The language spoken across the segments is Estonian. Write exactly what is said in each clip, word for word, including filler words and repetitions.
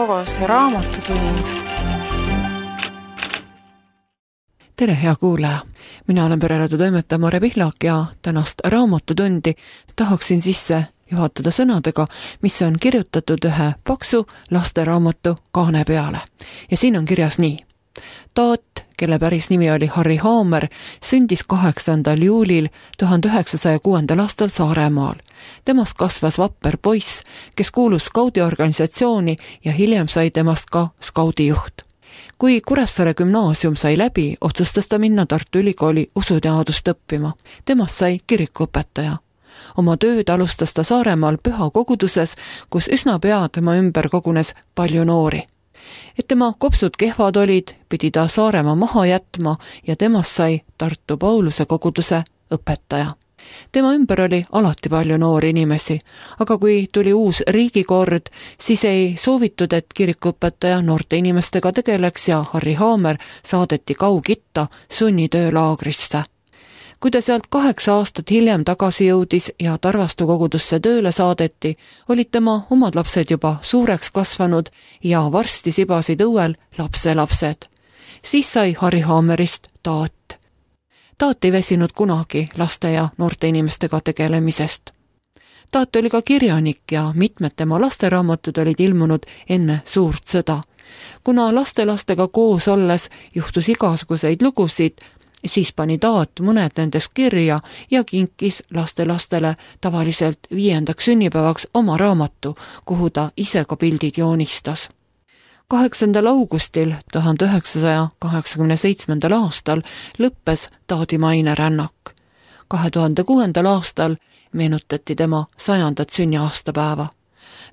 koos Raamatutund. Tere, hea kuulaja! Mina olen pereradio toimetaja Mare Pihlak ja tänast Raamatutundi tahaksin sisse juhatada sõnadega, mis on kirjutatud ühe paksu lasteraamatu kaane peale. Ja siin on kirjas nii. Taat, kelle päris nimi oli Harry Haamer, sündis kaheksandal juulil tuhande üheksasaja kuuendal aastal Saaremaal. Temast kasvas vapper poiss, kes kuulus skaudiorganisatsiooni ja hiljem sai temast ka skaudijuht. Kui Kuressaare gümnaasium sai läbi, otsustas ta minna Tartu Ülikooli usuteadust õppima. Temast sai kirikuõpetaja. Oma tööd alustas ta Saaremaal püha koguduses, kus üsna pea tema ümber kogunes palju noori. Et tema kopsud kehvad olid, pidi ta Saaremaa maha jätma ja temast sai Tartu Pauluse koguduse õpetaja. Tema ümber oli alati palju noori inimesi, aga kui tuli uus riigikord, siis ei soovitud, et kirikuõpetaja noorte inimestega tegeleks ja Harry Haamer saadeti kaugitta sunnitöölaagrisse. Kui ta sealt kaheksa aastat hiljem tagasi jõudis ja Tarvastu kogudusse tööle saadeti, olid tema omad lapsed juba suureks kasvanud ja varsti sibasid õuel lapselapsed. Siis sai Harry Haamerist Taat. Taat ei väsinud kunagi laste ja noorte inimestega tegelemisest. Taat oli ka kirjanik ja mitmed tema lasteraamatud olid ilmunud enne suurt sõda. Kuna lastelastega koos olles juhtus igasuguseid lugusid, siis pani Taat mõned nendest kirja ja kinkis lastelastele tavaliselt viiendaks sünnipäevaks oma raamatu, kuhu ta ise ka pildid joonistas. kaheksandal augustil tuhande üheksasaja kaheksakümne seitsmendal aastal lõppes Taadi mainerännak. kahe tuhande kuuendal aastal meenutati tema sajandat sünniaastapäeva.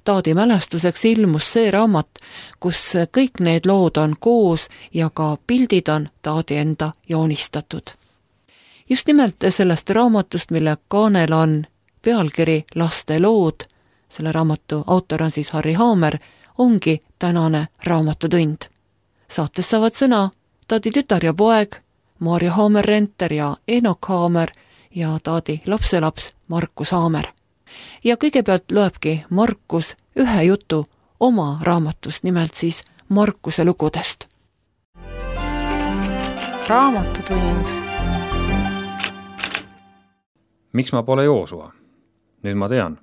Taadi mälestuseks ilmus see raamat, kus kõik need lood on koos ja ka pildid on Taadi enda joonistatud. Just nimelt sellest raamatust, mille kaanel on pealkiri Laste lood, selle raamatu autor on siis Harry Haamer, ongi tänane Raamatutund. Saates saavad sõna Taadi tütar ja poeg, Maarja Haamer-Renter ja Eenok Haamer ja Taadi lapselaps Markus Haamer. Ja kõigepealt loebki Markus ühe jutu oma raamatust, nimelt siis Markuse lugudest. Raamatutund. Miks ma pole Joosua? Nüüd ma tean,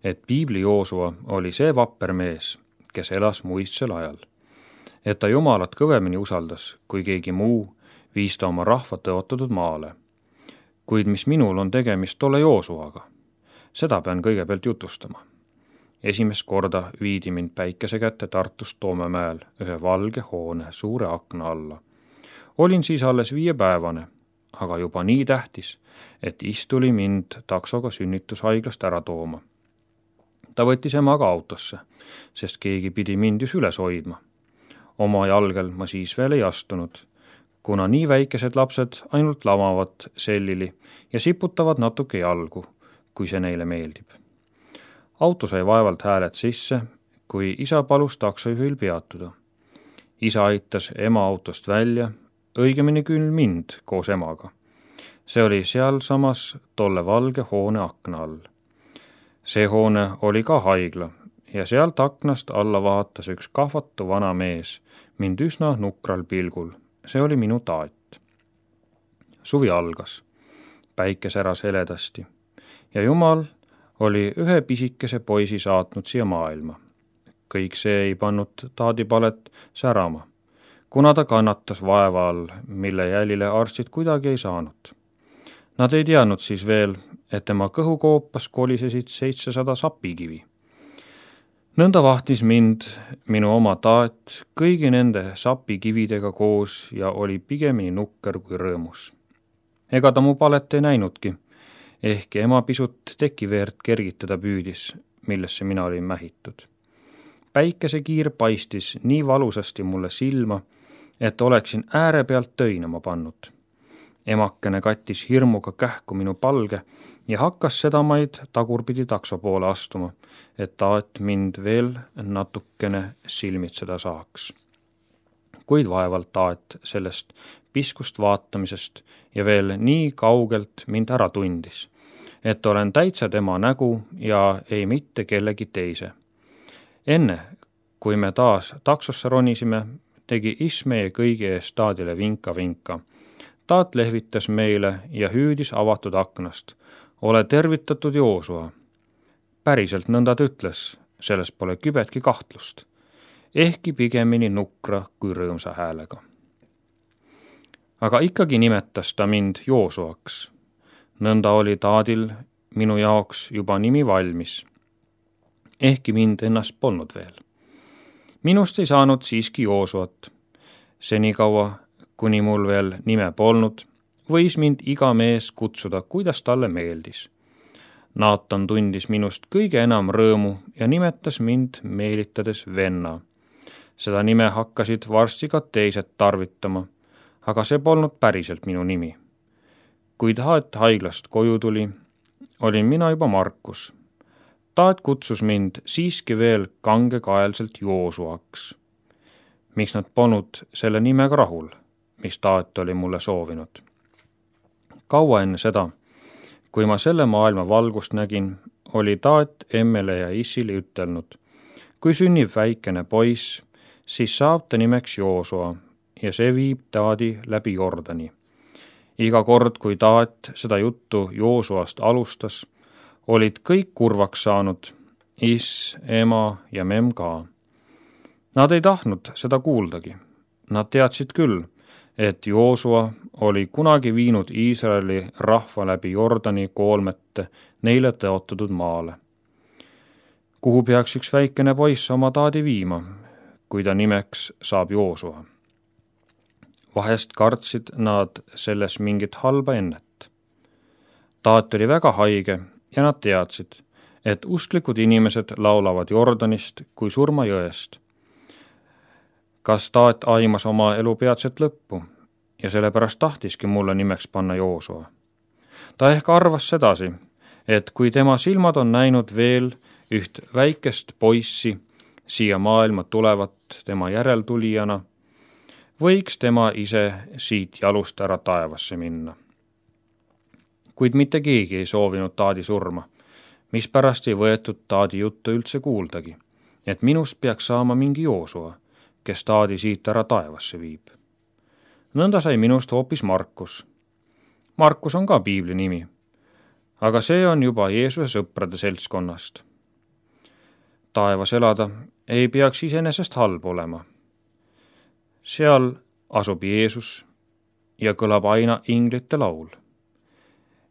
et piibli Joosua oli see vapper mees, kes elas muistsel ajal. Et ta Jumalat kõvemini usaldas, kui keegi muu, viis ta oma rahva tõotatud maale. Kuid mis minul on tegemist tolle Joosuaga? Seda pean kõigepealt jutustama. Esimest korda viidi mind päikese kätte Tartust Toomemäel ühe valge hoone suure akna alla. Olin siis alles viiepäevane, aga juba nii tähtis, et istuli mind taksoga sünnitushaiglast ära tooma. Ta võttis emaga autosse, sest keegi pidi mind just üles hoidma. Oma jalgel ma siis veel ei astunud, kuna nii väikesed lapsed ainult lamavad sellili ja siputavad natuke jalgu, kui see neile meeldib. Auto sai vaevalt hääled sisse, kui isa palus taksojuhil peatuda. Isa aitas ema autost välja, õigemini küll mind koos emaga. See oli seal samas tolle valge hoone akna all. See hoone oli ka haigla ja sealt aknast alla vaatas üks kahvatu vana mees, mind üsna nukral pilgul. See oli minu Taat. Suvi algas, päike säras heledasti ja Jumal oli ühe pisikese poisi saatnud siia maailma. Kõik see ei pannud Taadipalet särama, kuna ta kannatas vaeva all, mille jälile arstid kuidagi ei saanud. Nad ei teadnud siis veel, et tema kõhukoopas kolisesid seitsesada sapikivi. Nõnda vahtis mind minu oma Taat kõigi nende sapikividega koos ja oli pigemini nukker kui rõõmus. Ega ta mu palet ei näinudki, ehkki ema pisut tekiveert kergitada püüdis, millesse mina olin mähitud. Päikesekiir paistis nii valusasti mulle silma, et oleksin ääre pealt töinama pannud. Emakene kattis hirmuga kähku minu palge ja hakkas sedamaid tagurpidi takso poole astuma, et Taat mind veel natukene silmitseda saaks. Kuid vaevalt Taat sellest piskust vaatamisest ja veel nii kaugelt mind ära tundis, et olen täitsa tema nägu ja ei mitte kellegi teise. Enne, kui me taas taksosse ronisime, tegi is meie kõigi ees taadile vinka-vinka. Taat lehvitas meile ja hüüdis avatud aknast. Ole tervitatud, Joosua. Päriselt nõnda ta ütles, selles pole kübetki kahtlust. Ehkki pigemini nukra kui rõõmsa häälega. Aga ikkagi nimetas ta mind Joosuaks. Nõnda oli taadil minu jaoks juba nimi valmis. Ehkki mind ennast polnud veel. Minust ei saanud siiski Joosuat. Senikaua, kuni mul veel nime polnud, võis mind iga mees kutsuda, kuidas talle meeldis. Naatan tundis minust kõige enam rõõmu ja nimetas mind meelitades venna. Seda nime hakkasid varsti ka teised tarvitama, aga see polnud päriselt minu nimi. Kui Taat haiglast koju tuli, olin mina juba Markus. Taat kutsus mind siiski veel kangekaelselt Joosuaks. Miks nad polnud selle nimega rahul, mis Taat oli mulle soovinud? Kaua enne seda, kui ma selle maailma valgust nägin, oli Taat emmele ja issile ütelnud, kui sünnib väikene poiss, siis saab ta nimeks Joosua ja see viib Taadi läbi Jordani. Iga kord, kui Taat seda juttu Joosuast alustas, olid kõik kurvaks saanud, is, ema ja mem ka. Nad ei tahtnud seda kuuldagi. Nad teadsid küll, et Joosua oli kunagi viinud Iisraeli rahva läbi Jordani koolmete neile tõotatud maale. Kuhu peaks üks väikene poiss oma Taadi viima, kui ta nimeks saab Joosua? Vahest kartsid nad selles mingit halba ennet. Taat oli väga haige ja nad teadsid, et usklikud inimesed laulavad Jordanist kui surmajõest. Kas Taat aimas oma elu peatset lõppu ja sellepärast tahtiski mulle nimeks panna Joosua? Ta ehk arvas sedasi, et kui tema silmad on näinud veel üht väikest poissi siia maailma tulevat tema järeltulijana, võiks tema ise siit jalust ära taevasse minna. Kuid mitte keegi ei soovinud Taadi surma, mispärast ei võetud Taadi juttu üldse kuuldagi, et minust peaks saama mingi Joosua, kes Taadi siit ära taevasse viib. Nõnda sai minust hoopis Markus. Markus on ka piibli nimi, aga see on juba Jeesuse sõprade seltskonnast. Taevas elada ei peaks iseenesest halb olema. Seal asub Jeesus ja kõlab aina inglite laul.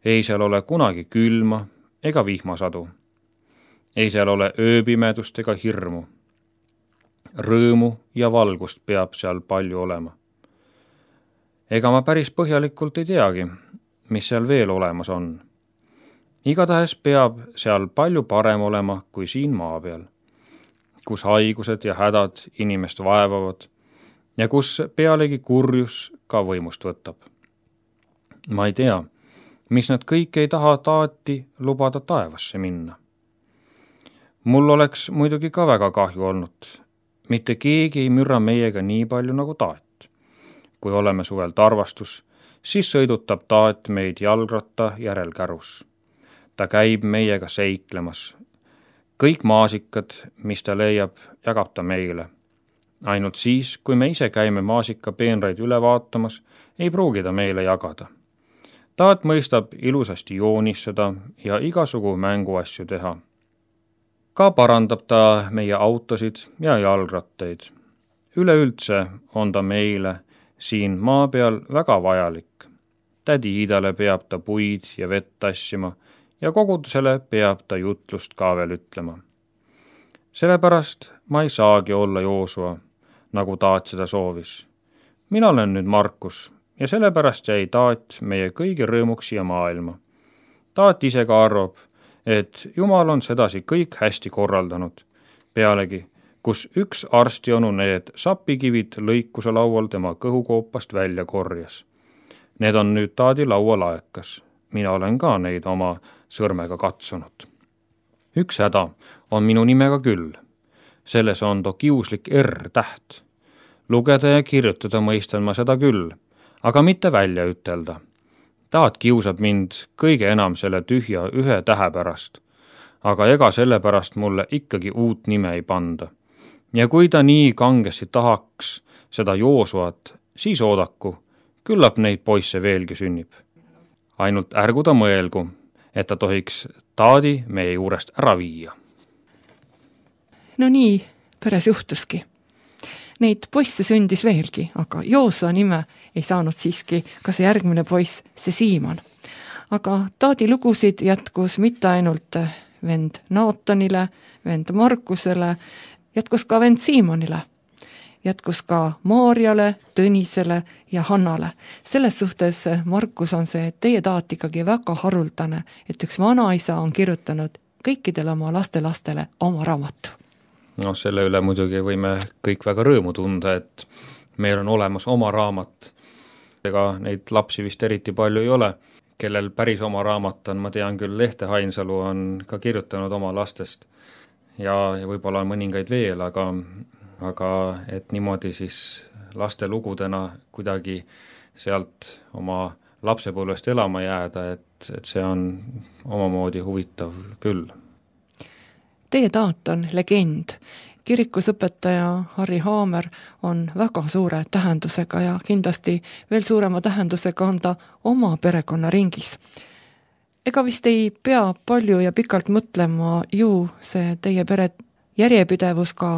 Ei seal ole kunagi külma ega vihmasadu. Ei seal ole ööpimedust ega hirmu. Rõõmu ja valgust peab seal palju olema. Ega ma päris põhjalikult ei teagi, mis seal veel olemas on. Igatahes peab seal palju parem olema kui siin maa peal, kus haigused ja hädad inimest vaevavad ja kus pealegi kurjus ka võimust võtab. Ma ei tea, mis nad kõik ei taha Taati lubada taevasse minna. Mul oleks muidugi ka väga kahju olnud. Mitte keegi ei mürra meiega nii palju nagu Taat. Kui oleme suvel tarvastus, siis sõidutab Taat meid jalgratta järelkärus. Ta käib meiega seiklemas. Kõik maasikad, mis ta leiab, jagab ta meile. Ainult siis, kui me ise käime maasika peenraid üle vaatamas, ei pruugi ta meile jagada. Taat mõistab ilusasti joonistada ja igasugu mänguasju teha. Ka parandab ta meie autosid ja jalgrattaid. Üleüldse on ta meile siin maa peal väga vajalik. Tädi Iidale peab ta puid ja vett tassima ja kogudusele peab ta jutlust ka veel ütlema. Sellepärast ma ei saagi olla Joosua, nagu Taat seda soovis. Mina olen nüüd Markus ja sellepärast jäi Taat meie kõigi rõõmuks siia maailma. Taat ise ka arvab, et Jumal on sedasi kõik hästi korraldanud. Pealegi, kus üks arstionu need sapikivid lõikuse laual tema kõhukoopast välja korjas. Need on nüüd Taadi laualaekas. Mina olen ka neid oma sõrmega katsunud. Üks häda on minu nimega küll. Selles on too kiuslik R-täht. Lugeda ja kirjutada mõistan ma seda küll, aga mitte välja ütelda. Taat kiusab mind kõige enam selle tühja ühe tähe pärast, aga ega selle pärast mulle ikkagi uut nime ei panda. ja kui ta nii kangesti tahaks seda Joosuat, siis oodaku, küllap neid poisse veelgi sünnib. Ainult ärgu ta mõelgu, et ta tohiks taadi meie juurest ära viia. No nii peres juhtuski. Neid poisse sündis veelgi, aga Joosua nime ei saanud siiski ka see järgmine poiss, see Siiman. Aga taadi lugusid jätkus mitte ainult vend Naatanile, vend Markusele, jätkus ka vend Siimonile. Jätkus ka Maarjale, Tõnisele ja Hannale. Selles suhtes, Markus, on see teie taat ikkagi väga haruldane, et üks vanaisa on kirjutanud kõikidele oma lastelastele oma raamatu. No selle üle muidugi võime kõik väga rõõmu tunda, et meil on olemas oma raamat. Ega neid lapsi vist eriti palju ei ole, kellel päris oma raamat on, ma tean küll, Lehte Hainsalu on ka kirjutanud oma lastest ja, ja võib-olla on mõningaid veel, aga, aga et niimoodi siis laste lugudena kuidagi sealt oma lapsepõlvest elama jääda, et, et see on omamoodi huvitav küll. Teie taat on legend. Kirikusõpetaja Harri Haamer on väga suure tähendusega ja kindlasti veel suurema tähendusega on ta oma perekonna ringis. Ega vist ei pea palju ja pikalt mõtlema ju see teie pere järjepidevus ka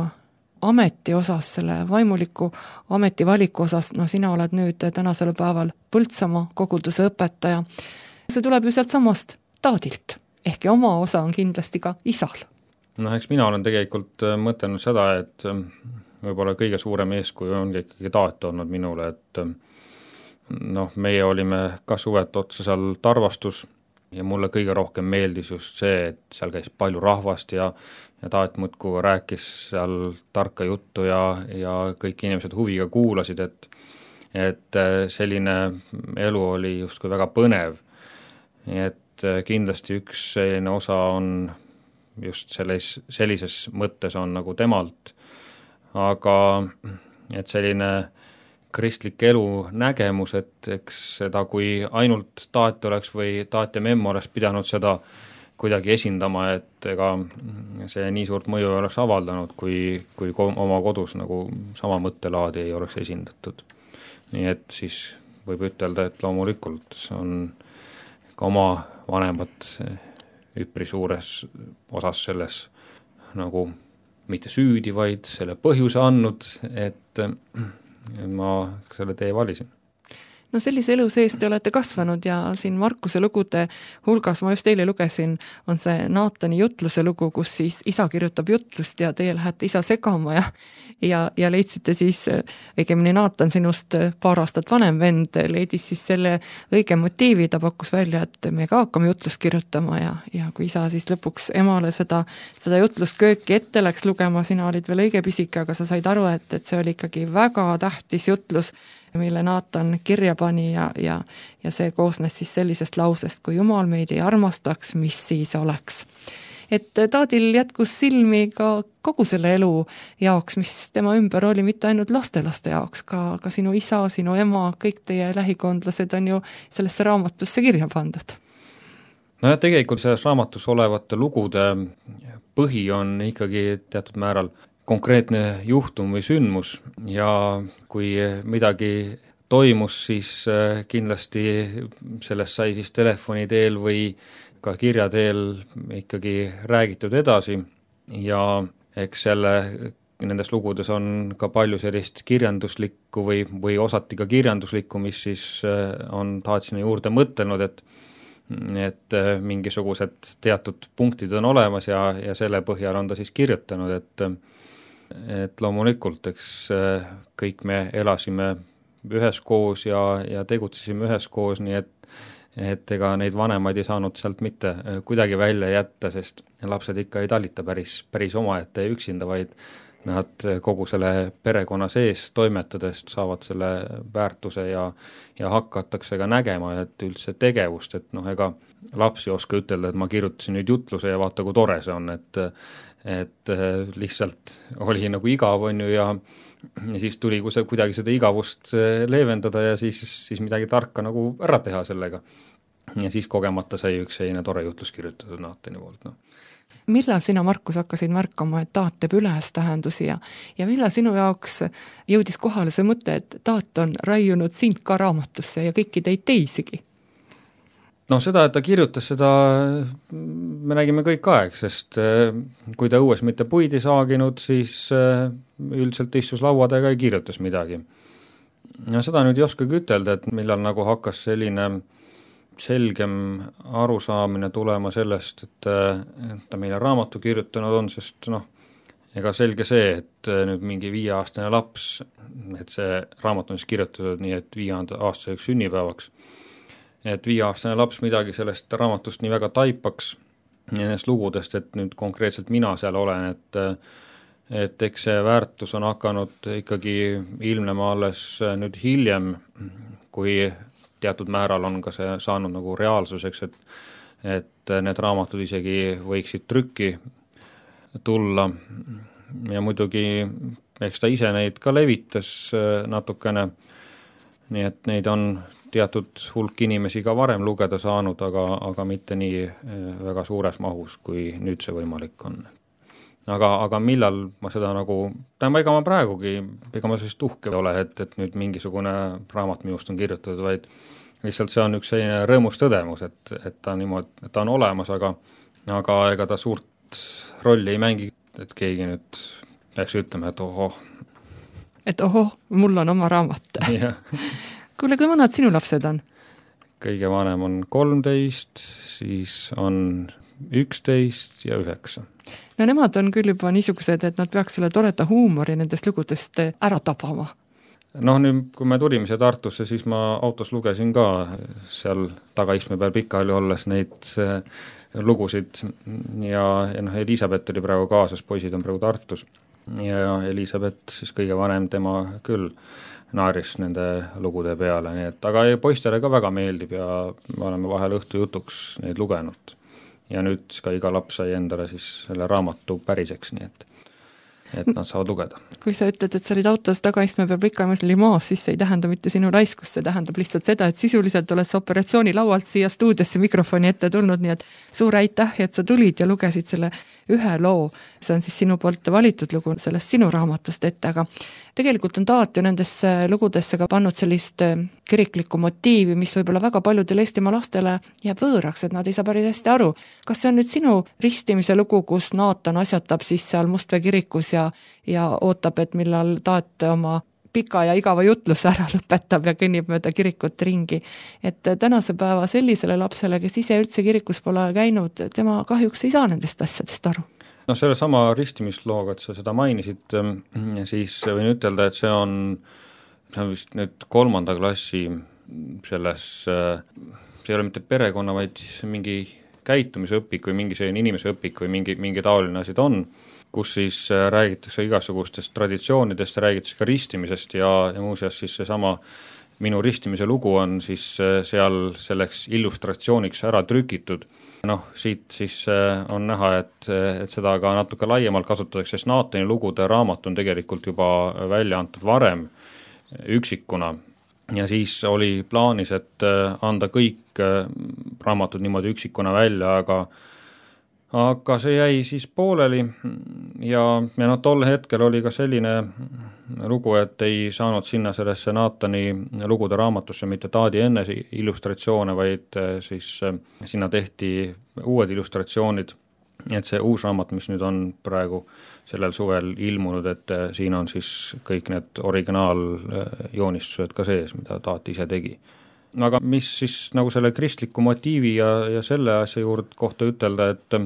ameti osas, selle vaimuliku ametivaliku osas. No sina oled nüüd tänasel päeval Põltsamaa koguduse õpetaja. See tuleb ju sealt samast taadilt. Ehkki oma osa on kindlasti ka isal. No eks mina olen tegelikult mõtelnud seda, et võib-olla kõige suurem eeskuju on ikkagi taat olnud minule, et noh, meie olime ka suvet otsa seal Tarvastus ja mulle kõige rohkem meeldis just see, et seal käis palju rahvast ja, ja taat muudkui rääkis seal tarka juttu ja, ja kõik inimesed huviga kuulasid, et, et selline elu oli justkui väga põnev. Et kindlasti üks selline osa on just selles, sellises mõttes on nagu temalt, aga et selline kristlik elu nägemus, et eks seda, kui ainult taat oleks või taat ja memm oleks pidanud seda kuidagi esindama, et ega see nii suurt mõju oleks avaldanud, kui, kui oma kodus nagu sama mõttelaadi ei oleks esindatud. Nii et siis võib ütelda, et loomulikult on ka oma vanemad üpri suures osas selles nagu mitte süüdi, vaid selle põhjuse andnud, et ma selle tee valisin. No sellise elu sees te olete kasvanud ja siin Markuse lugude hulgas, ma just eile lugesin, on see Naatani jutluse lugu, kus siis isa kirjutab jutlust ja teie lähete isa segama ja, ja, ja leidsite siis, õigemini Naatan, sinust paar aastat vanem vend, leidis siis selle õige motiivi, ta pakkus välja, et me ka hakkame jutlust kirjutama ja, ja kui isa siis lõpuks emale seda, seda jutlust kööki ette läks lugema, sina olid veel õige pisike, aga sa said aru, et, et see oli ikkagi väga tähtis jutlus, mille Naatan kirja pani ja, ja, ja see koosnes siis sellisest lausest, kui Jumal meid ei armastaks, mis siis oleks. Et taadil jätkus silmi ka kogu selle elu jaoks, mis tema ümber oli, mitte ainult lastelaste jaoks, ka, ka sinu isa, sinu ema, kõik teie lähikondlased on ju sellesse raamatusse kirja pandud. No ja tegelikult selles raamatus olevate lugude põhi on ikkagi teatud määral konkreetne juhtum või sündmus ja kui midagi toimus, siis kindlasti sellest sai siis telefoni teel või ka kirja teel ikkagi räägitud edasi ja eks selle, nendes lugudes on ka palju sellist kirjanduslikku või, või osati ka kirjanduslikku, mis siis on taatsina juurde mõtelnud, et et mingisugused teatud punktid on olemas ja, ja selle põhjal on ta siis kirjutanud, et et loomulikult, eks kõik me elasime üheskoos ja, ja tegutsesime üheskoos, nii et, et ega neid vanemaid ei saanud sealt mitte kuidagi välja jätta, sest lapsed ikka ei talita päris, päris omaette ja üksinda, vaid nad kogu selle perekonna sees toimetades saavad selle väärtuse ja, ja hakatakse ka nägema, et üldse tegevust, et noh, ega laps ei oska ütelda, et ma kirjutasin nüüd jutluse ja vaata, kui tore see on, et et lihtsalt oli nagu igav, on ju, ja, ja siis tuli kuidagi seda igavust leevendada ja siis, siis midagi tarka nagu ära teha sellega. Ja siis kogemata sai üks selline tore jutlus kirjutatud Naatani poolt, noh. millal sina, Markus, hakkasid märkama, et taat teeb ülestähendusi ja, ja millal sinu jaoks jõudis kohale see mõte, et taat on raiunud sind ka raamatusse ja kõiki teid teisigi? No seda, et ta kirjutas, seda me nägime kõik aeg, sest kui ta õues mitte puid ei saaginud, siis üldiselt istus laua taga ja kirjutas midagi. Ja seda nüüd ei oskagi ütelda, et millal nagu hakkas selline selgem arusaamine tulema sellest, et ta meile raamatu kirjutanud on, sest noh, ega selge see, et nüüd mingi viieaastane laps, et see raamat on siis kirjutatud nii, et viieaastaseks sünnipäevaks, et viieaastane laps midagi sellest raamatust nii väga taipaks nendest lugudest, et nüüd konkreetselt mina seal olen, et et eks see väärtus on hakanud ikkagi ilmnema alles nüüd hiljem, kui teatud määral on ka see saanud nagu reaalsuseks, et et need raamatud isegi võiksid trükki tulla ja muidugi eks ta ise neid ka levitas natukene, nii et neid on teatud hulk inimesi ka varem lugeda saanud, aga, aga mitte nii väga suures mahus, kui nüüd see võimalik on. Aga, aga millal ma seda nagu, tähendab, ega ma praegugi, ega ma sellist uhke ole, et, et nüüd mingisugune raamat minust on kirjutatud, vaid lihtsalt see on üks selline rõõmus tõdemus, et, et ta niimoodi, et ta on olemas, aga, aga ega ta suurt rolli ei mängi, et keegi nüüd peaks ütlema, et ohoh. Et ohoh, mul on oma raamat. Kuule, kui vanad sinu lapsed on? Kõige vanem on kolmteist, siis on üksteist ja üheksa. No nemad on küll juba niisugused, et nad peaks selle toreda huumori nendest lugudest ära tabama. Noh, nüüd kui me tulime siia Tartusse, siis ma autos lugesin ka seal tagaistme peal pikali olles neid lugusid ja, ja noh, Elisabeth oli praegu kaasas, poisid on praegu Tartus ja Elisabeth siis kõige vanem, tema küll naaris nende lugude peale, nii et aga poistele ka väga meeldib ja me oleme vahel õhtu jutuks neid lugenud. Ja nüüd ka iga laps sai endale siis selle raamatu päriseks, nii et, et nad saavad lugeda. Kui sa ütled, et sa olid autos tagaistme peal pikamas oli maas, siis see ei tähenda mitte sinu raiskust, see tähendab lihtsalt seda, et sisuliselt oled sa operatsiooni laualt siia stuudiosse mikrofoni ette tulnud, nii et suur aitäh, et sa tulid ja lugesid selle ühe loo. See on siis sinu poolt valitud lugu sellest sinu raamatust ette, aga tegelikult on taat ju nendesse lugudesse ka pannud sellist kiriklikku motiivi, mis võib-olla väga paljudele Eestimaa lastele jääb võõraks, et nad ei saa päris hästi aru. Kas see on nüüd sinu ristimise lugu, kus Naatan asjatab siis seal Mustvee kirikus ja, ja ootab, et millal taat oma pika ja igava jutluse ära lõpetab ja kõnnib mööda kirikut ringi. Et tänase päeva sellisele lapsele, kes ise üldse kirikus pole käinud, tema kahjuks ei saa nendest asjadest aru. No selle sama ristimislooga, et sa seda mainisid, siis võin ütelda, et see on, see on vist nüüd kolmanda klassi selles, see ei ole mitte perekonna, vaid mingi käitumisõpik või mingi selline inimese õpik või mingi, mingi taoline asi on, kus siis räägitakse igasugustest traditsioonidest, räägitakse ka ristimisest ja, ja muuseas siis seesama minu ristimise lugu on siis seal selleks illustratsiooniks ära trükitud. Noh, siit siis on näha, et, et seda ka natuke laiemalt kasutatakse, sest Naatani lugude raamat on tegelikult juba välja antud varem üksikuna ja siis oli plaanis, et anda kõik raamatud niimoodi üksikuna välja, aga aga see jäi siis pooleli ja, ja no tol hetkel oli ka selline lugu, et ei saanud sinna sellesse Naatani lugude raamatusse mitte taadi enne illustratsioone, vaid siis sinna tehti uued illustratsioonid, et see uus raamat, mis nüüd on praegu sellel suvel ilmunud, et siin on siis kõik need originaaljoonistused ka sees, mida taat ise tegi. Aga mis siis nagu selle kristliku motiivi ja, ja selle asja juurde kohta ütelda, et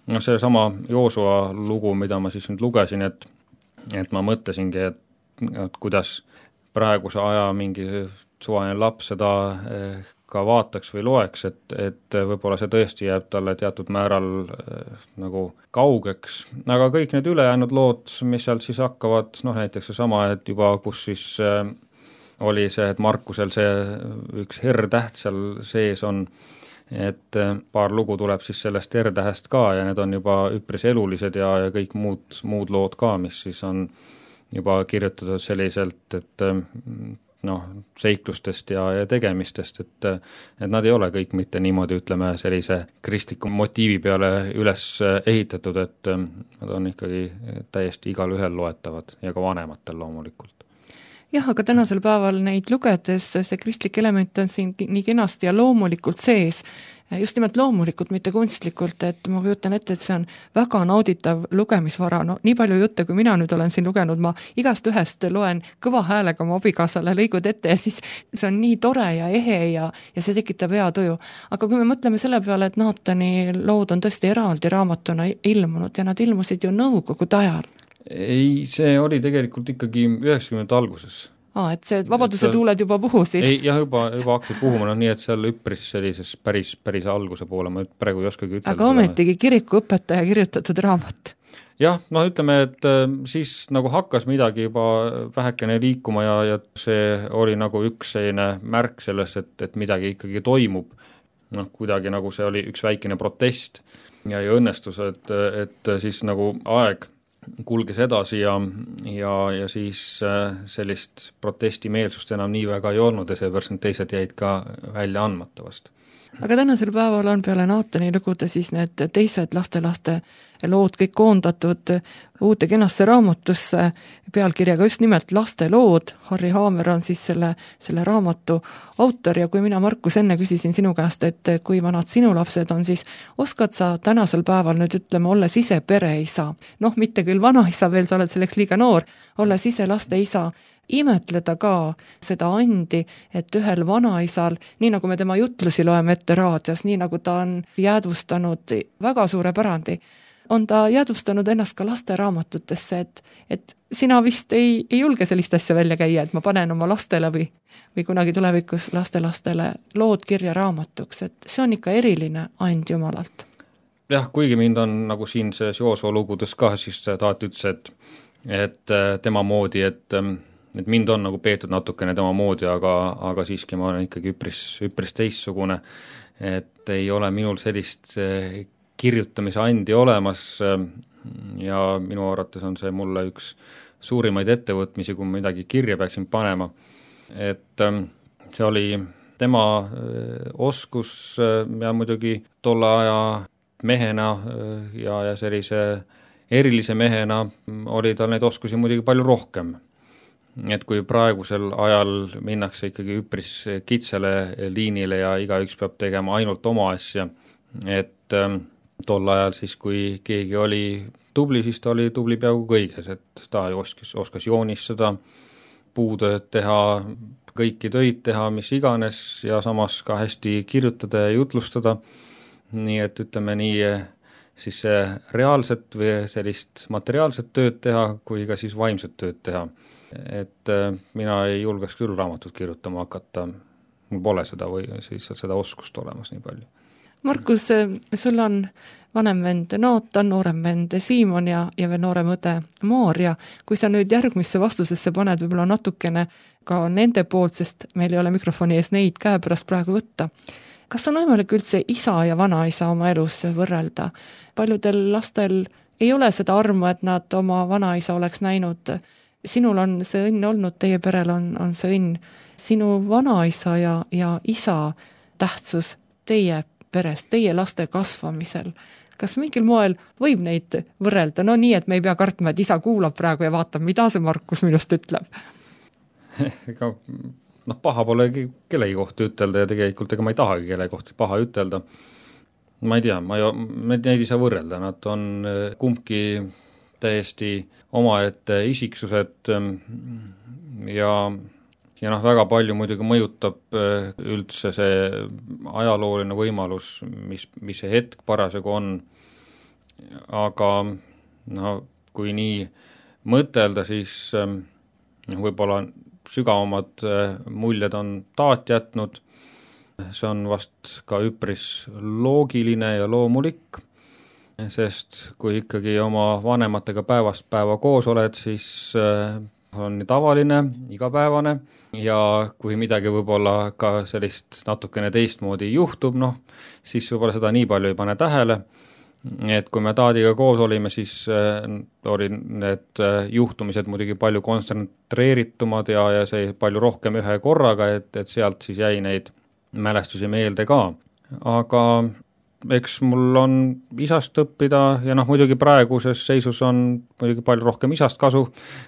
no see sama Joosua lugu, mida ma siis nüüd lugesin, et, et ma mõtlesingi, et, et kuidas praeguse aja mingi suvaline laps seda ka vaataks või loeks, et, et võib-olla see tõesti jääb talle teatud määral nagu kaugeks, aga kõik need ülejäänud lood, mis sealt siis hakkavad, noh näiteks see sama, et juba kus siis oli see, et Markusel see üks R-täht seal sees on, et paar lugu tuleb siis sellest R-tähest ka ja need on juba üpris elulised ja, ja kõik muud, muud lood ka, mis siis on juba kirjutatud selliselt, et noh, seiklustest ja, ja tegemistest, et, et nad ei ole kõik mitte niimoodi, ütleme, sellise kristliku motiivi peale üles ehitatud, et nad on ikkagi täiesti igal ühel loetavad ja ka vanematel loomulikult. Jah, aga tänasel päeval neid lugedes see kristlik element on siin nii kenasti ja loomulikult sees, just nimelt loomulikult, mitte kunstlikult, et ma kujutan ette, et see on väga nauditav lugemisvara, no nii palju jutte, kui mina nüüd olen siin lugenud, ma igast ühest loen kõva häälega oma abikaasale lõigud ette ja siis see on nii tore ja ehe ja, ja see tekitab hea tuju. Aga kui me mõtleme selle peale, et Naatani lood on tõesti eraldi raamatuna ilmunud ja nad ilmusid ju nõukogude ajal. Ei, see oli tegelikult ikkagi üheksakümnendate alguses. Aa, et see vabaduse tuuled juba puhusid? Ei, jah, juba, juba hakkasid puhuma, no nii, et seal üpris sellises päris, päris alguse poole, ma praegu ei oskagi ütelda. Aga ometigi kirikuõpetaja kirjutatud raamat. Jah, no ütleme, et siis nagu hakkas midagi juba vähekene liikuma ja, ja see oli nagu üks selline märk sellest, et, et midagi ikkagi toimub. Noh, kuidagi nagu see oli üks väikene protest ja, ja õnnestus, et, et siis nagu aeg kulges edasi ja, ja, ja siis sellist protestimeelsust enam nii väga ei olnud ja seepärast need teised jäid ka välja andmata vast. Aga tänasel päeval on peale Naatani lugude siis need teised lastelaste lood kõik koondatud uude kenasse raamatusse pealkirjaga just nimelt lastelood. Harri Haamer on siis selle, selle raamatu autor ja kui mina, Markus, enne küsisin sinu käest, et kui vanad sinu lapsed on, siis oskad sa tänasel päeval nüüd ütleme, olles ise pereisa, noh, mitte küll vanaisa veel, sa oled selleks liiga noor, olles ise laste isa, imetleda ka seda andi, et ühel vanaisal, nii nagu me tema jutlusi loeme ette raadios, nii nagu ta on jäädvustanud väga suure pärandi, on ta jäädvustanud ennast ka laste raamatutesse, et, et sina vist ei, ei julge sellist asja välja käia, et ma panen oma lastele või, või kunagi tulevikus lastelastele lood kirja raamatuks, et see on ikka eriline and Jumalalt. Jah, kuigi mind on nagu siin see Joosua lugudes ka, siis taat ütles, et, et tema moodi, et et mind on nagu peetud natukene tema moodi, aga, aga siiski ma olen ikkagi üpris, üpris teistsugune, et ei ole minul sellist kirjutamise andi olemas ja minu arvates on see mulle üks suurimaid ettevõtmisi, kui midagi kirja peaksin panema. Et see oli tema oskus ja muidugi tolle aja mehena ja, ja sellise erilise mehena oli tal neid oskusi muidugi palju rohkem. Et kui praegusel ajal minnakse ikkagi üpris kitsale liinile ja igaüks peab tegema ainult oma asja, et ähm, tol ajal siis, kui keegi oli tubli, siis ta oli tubli peaaegu kõiges, et ta oskas, oskas joonistada, puutööd teha, kõiki töid teha, mis iganes ja samas ka hästi kirjutada ja jutlustada, nii et ütleme nii, siis reaalset või sellist materiaalset tööd teha, kui ka siis vaimset tööd teha. Et mina ei julgeks küll raamatut kirjutama hakata, mul pole seda või siis seda oskust olemas nii palju. Markus, sul on vanem vend Naatan, noorem vend Siimon ja, ja veel noorem õde Maarja. Kui sa nüüd järgmisse vastusesse paned võib-olla natukene ka nende poolt, sest meil ei ole mikrofoni ees neid käepärast praegu võtta. Kas on võimalik üldse isa ja vanaisa oma elus võrrelda? Paljudel lastel ei ole seda armu, et nad oma vanaisa oleks näinud. Sinul on see õnn olnud, teie perel on, on see õnn. Sinu vanaisa ja, ja isa tähtsus teie peres, teie laste kasvamisel. Kas mingil moel võib neid võrrelda? No nii, et me ei pea kartma, et isa kuulab praegu ja vaatab, mida see Markus minust ütleb. Ega noh, paha pole kellegi kohta ütelda ja tegelikult ega ma ei tahagi kelle kohta paha ütelda. Ma ei tea, ma ei, neid ei saa võrrelda, nad on kumbki täiesti omaette isiksused ja, ja noh, väga palju muidugi mõjutab üldse see ajalooline võimalus, mis, mis see hetk parasjagu on. Aga no, kui nii mõtelda, siis võib-olla sügavamad muljed on taat jätnud. See on vast ka üpris loogiline ja loomulik, sest kui ikkagi oma vanematega päevast päeva koos oled, siis on nii tavaline, igapäevane ja kui midagi võib-olla ka sellist natukene teistmoodi juhtub, noh, siis võib-olla seda nii palju ei pane tähele, et kui me taadiga koos olime, siis oli need juhtumised muidugi palju kontsentreeritumad ja, ja see palju rohkem ühe korraga, et, et sealt siis jäi neid mälestusi meelde ka. Aga eks mul on isast õppida ja noh, muidugi praeguses seisus on muidugi palju rohkem isast kasu,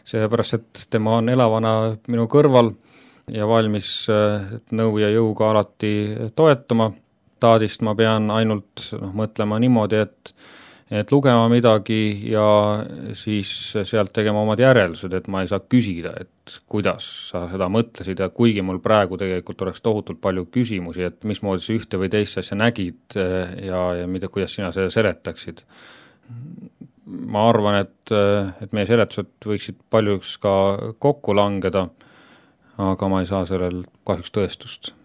seepärast et tema on elavana minu kõrval ja valmis nõu ja jõuga alati toetama. Taadist ma pean ainult noh, mõtlema niimoodi, et, et lugema midagi ja siis sealt tegema omad järeldused, et ma ei saa küsida, et kuidas sa seda mõtlesid ja kuigi mul praegu tegelikult oleks tohutult palju küsimusi, et mismoodi sa ühte või teist asja nägid ja, ja mida, kuidas sina seda seletaksid. Ma arvan, et, et meie seletused võiksid paljuks ka kokku langeda, aga ma ei saa sellel kahjuks tõestust.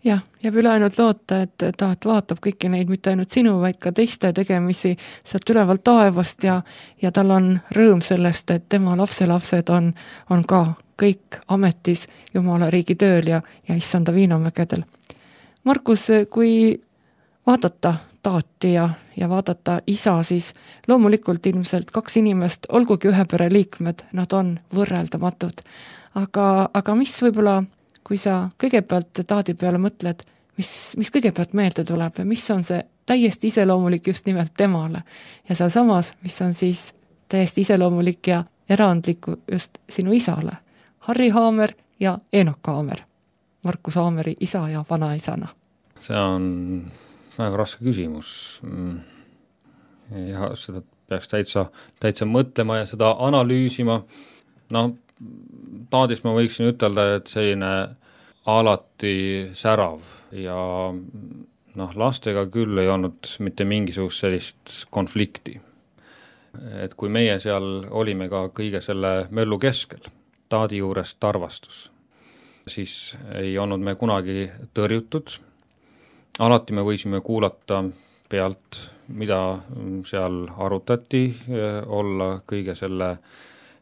Jah, jääb üle ainult loota, et taat vaatab kõiki neid mitte ainult sinu, vaid ka teiste tegemisi sealt ülevalt taevast ja, ja tal on rõõm sellest, et tema lapselapsed on, on ka kõik ametis Jumala riigi tööl ja, ja issanda viinamägedel. Markus, kui vaadata taati ja, ja vaadata isa, siis loomulikult ilmselt kaks inimest, olgugi ühe pere liikmed, nad on võrreldamatud. Aga, aga mis võib-olla kui sa kõigepealt taadi peale mõtled, mis, mis kõigepealt meelde tuleb ja mis on see täiesti iseloomulik just nimelt temale. Ja seal samas, mis on siis täiesti iseloomulik ja erandlik just sinu isale. Harri Haamer ja Eenok Haamer. Markus Haameri isa ja vanaisana. See on väga raske küsimus. Ja seda peaks täitsa, täitsa mõtlema ja seda analüüsima. No, taadis ma võiksin ütelda, et selline alati särav ja noh, lastega küll ei olnud mitte mingisugust sellist konflikti. Et kui meie seal olime ka kõige selle möllu keskel, taadi juures tarvastus, siis ei olnud me kunagi tõrjutud. Alati me võisime kuulata pealt, mida seal arutati, olla kõige selle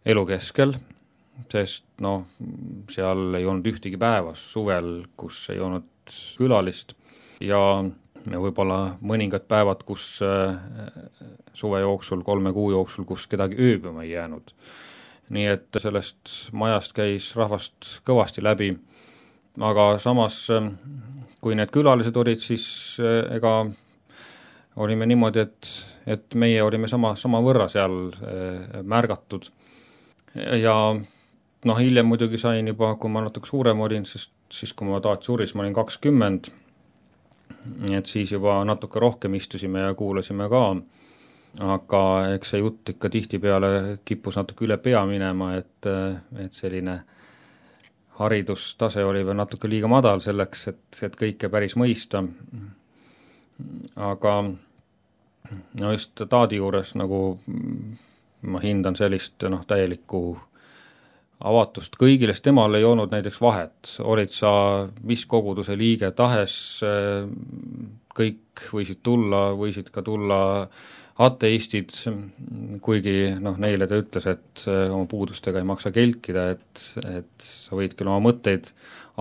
elu keskel, sest noh, seal ei olnud ühtegi päevas suvel, kus ei olnud külalist ja võib-olla mõningad päevad, kus suve jooksul, kolme kuu jooksul, kus kedagi ööbima ei jäänud. Nii et sellest majast käis rahvast kõvasti läbi, aga samas kui need külalised olid, siis ega olime niimoodi, et, et meie olime sama, sama võrra seal märgatud. Ja noh, hiljem muidugi sain juba, kui ma natuke suurem olin, sest siis kui ma taat suris, ma olin kakskümmend, et siis juba natuke rohkem istusime ja kuulasime ka, aga eks see jutt ikka tihtipeale kippus natuke üle pea minema, et, et selline haridustase oli veel natuke liiga madal selleks, et, et kõike päris mõista. Aga no just taadi juures nagu ma hindan sellist noh, täielikku avatust kõigile, sest temal ei olnud näiteks vahet. Olid sa mis koguduse liige tahes, kõik võisid tulla, võisid ka tulla ateistid, kuigi noh, neile ta ütles, et oma puudustega ei maksa kelkida, et, et sa võid küll oma mõtteid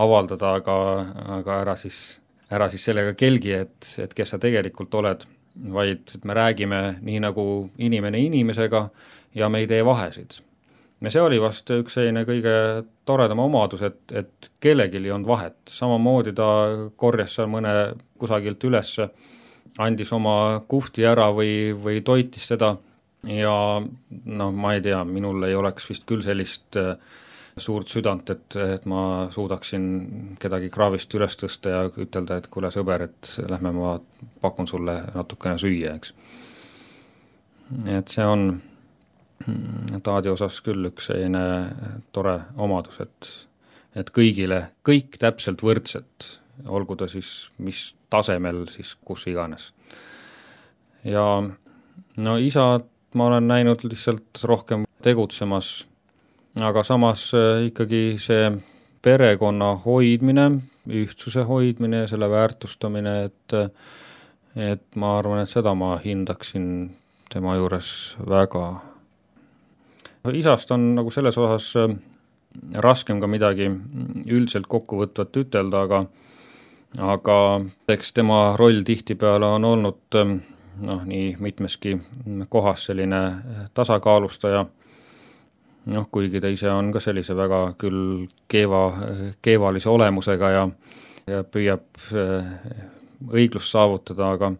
avaldada, aga, aga ära, siis, ära siis sellega kelgi, et, et kes sa tegelikult oled, vaid me räägime nii nagu inimene inimesega ja me ei tee vahesid. Ja see oli vast üks selline kõige toredama omadus, et, et kellelgi ei olnud vahet. Samamoodi ta korjas seal mõne kusagilt üles, andis oma kuhti ära või, või toitis seda ja noh, ma ei tea, minul ei oleks vist küll sellist suurt südant, et, et ma suudaksin kedagi kraavist üles tõsta ja ütelda, et kuule sõber, et lähme ma pakun sulle natukene süüa, eks. Et see on taadi osas küll üks selline tore omadus, et, et kõigile, kõik täpselt võrdset, olgu ta siis mis tasemel, siis kus iganes. Ja no isa ma olen näinud lihtsalt rohkem tegutsemas, aga samas ikkagi see perekonna hoidmine, ühtsuse hoidmine ja selle väärtustamine, et, et ma arvan, et seda ma hindaksin tema juures väga. Isast on nagu selles osas raskem ka midagi üldiselt kokkuvõtvat ütelda, aga, aga eks tema roll tihtipeale on olnud noh, nii mitmeski kohas selline tasakaalustaja, noh, kuigi ta ise on ka sellise väga küll keeva, keevalise olemusega ja, ja püüab õiglust saavutada, aga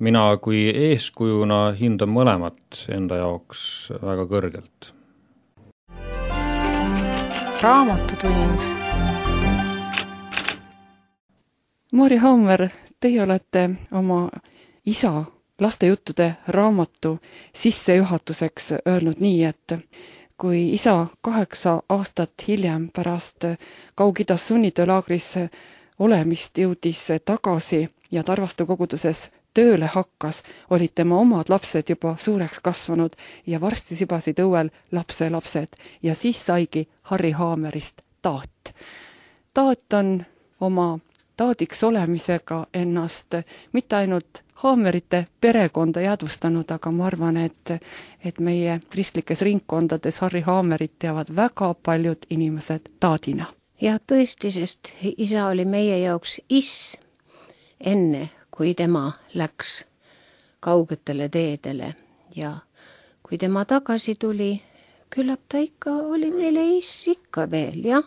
mina kui eeskujuna hindan mõlemat enda jaoks väga kõrgelt. Raamatutund. Maarja Haamer, teie olete oma isa lastejuttude raamatu sissejuhatuseks öelnud nii, et kui isa kaheksa aastat hiljem pärast Kaug-Idas sunnitöölaagris olemist jõudis tagasi ja Tarvastu koguduses tööle hakkas, olid tema omad lapsed juba suureks kasvanud ja varsti sibasid õuel lapselapsed ja siis saigi Harri Haamerist taat. Taat on oma taadiks olemisega ennast mitte ainult Haamerite perekonda jäädvustanud, aga ma arvan, et, et meie kristlikes ringkondades Harri Haamerit teavad väga paljud inimesed taadina. Ja tõesti, sest isa oli meie jaoks iss enne, kui tema läks kaugetele teedele ja kui tema tagasi tuli, küllap ta ikka oli meile iss ikka veel, jah.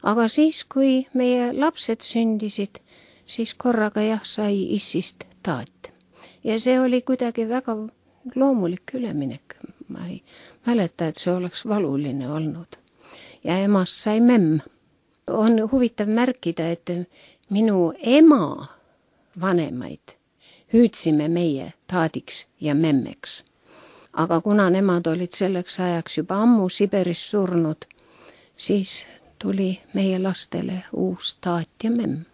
Aga siis, kui meie lapsed sündisid, siis korraga jah, sai issist taat. Ja see oli kuidagi väga loomulik üleminek. Ma ei mäleta, et see oleks valuline olnud. Ja emast sai memm. On huvitav märkida, et minu ema vanemaid hüüdsime meie taadiks ja memmeks. Aga kuna nemad olid selleks ajaks juba ammu Siberis surnud, siis tuli meie lastele uus taat ja memm.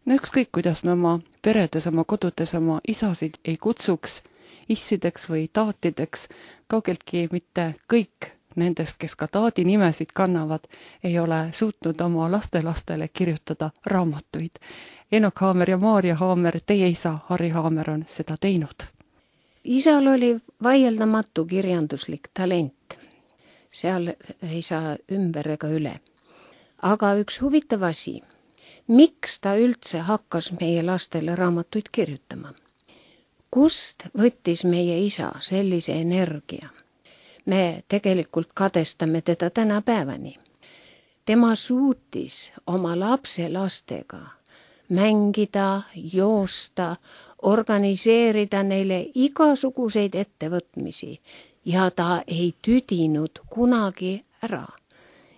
No ükskõik, kuidas me oma peredes, oma kodudes oma isasid ei kutsuks issideks või taatideks, kaugeltki mitte kõik nendest, kes ka taadi nimesid kannavad, ei ole suutnud oma lastelastele kirjutada raamatuid. Enok Haamer ja Maarja Haamer, teie isa Harri Haamer on seda teinud. Isal oli vaieldamatu kirjanduslik talent. Seal ei saa ümber ega üle. Aga üks huvitav asi, miks ta üldse hakkas meie lastele raamatuid kirjutama? Kust võttis meie isa sellise energia? Me tegelikult kadestame teda tänapäevani. Tema suutis oma lapse lastega mängida, joosta, organiseerida neile igasuguseid ettevõtmisi ja ta ei tüdinud kunagi ära.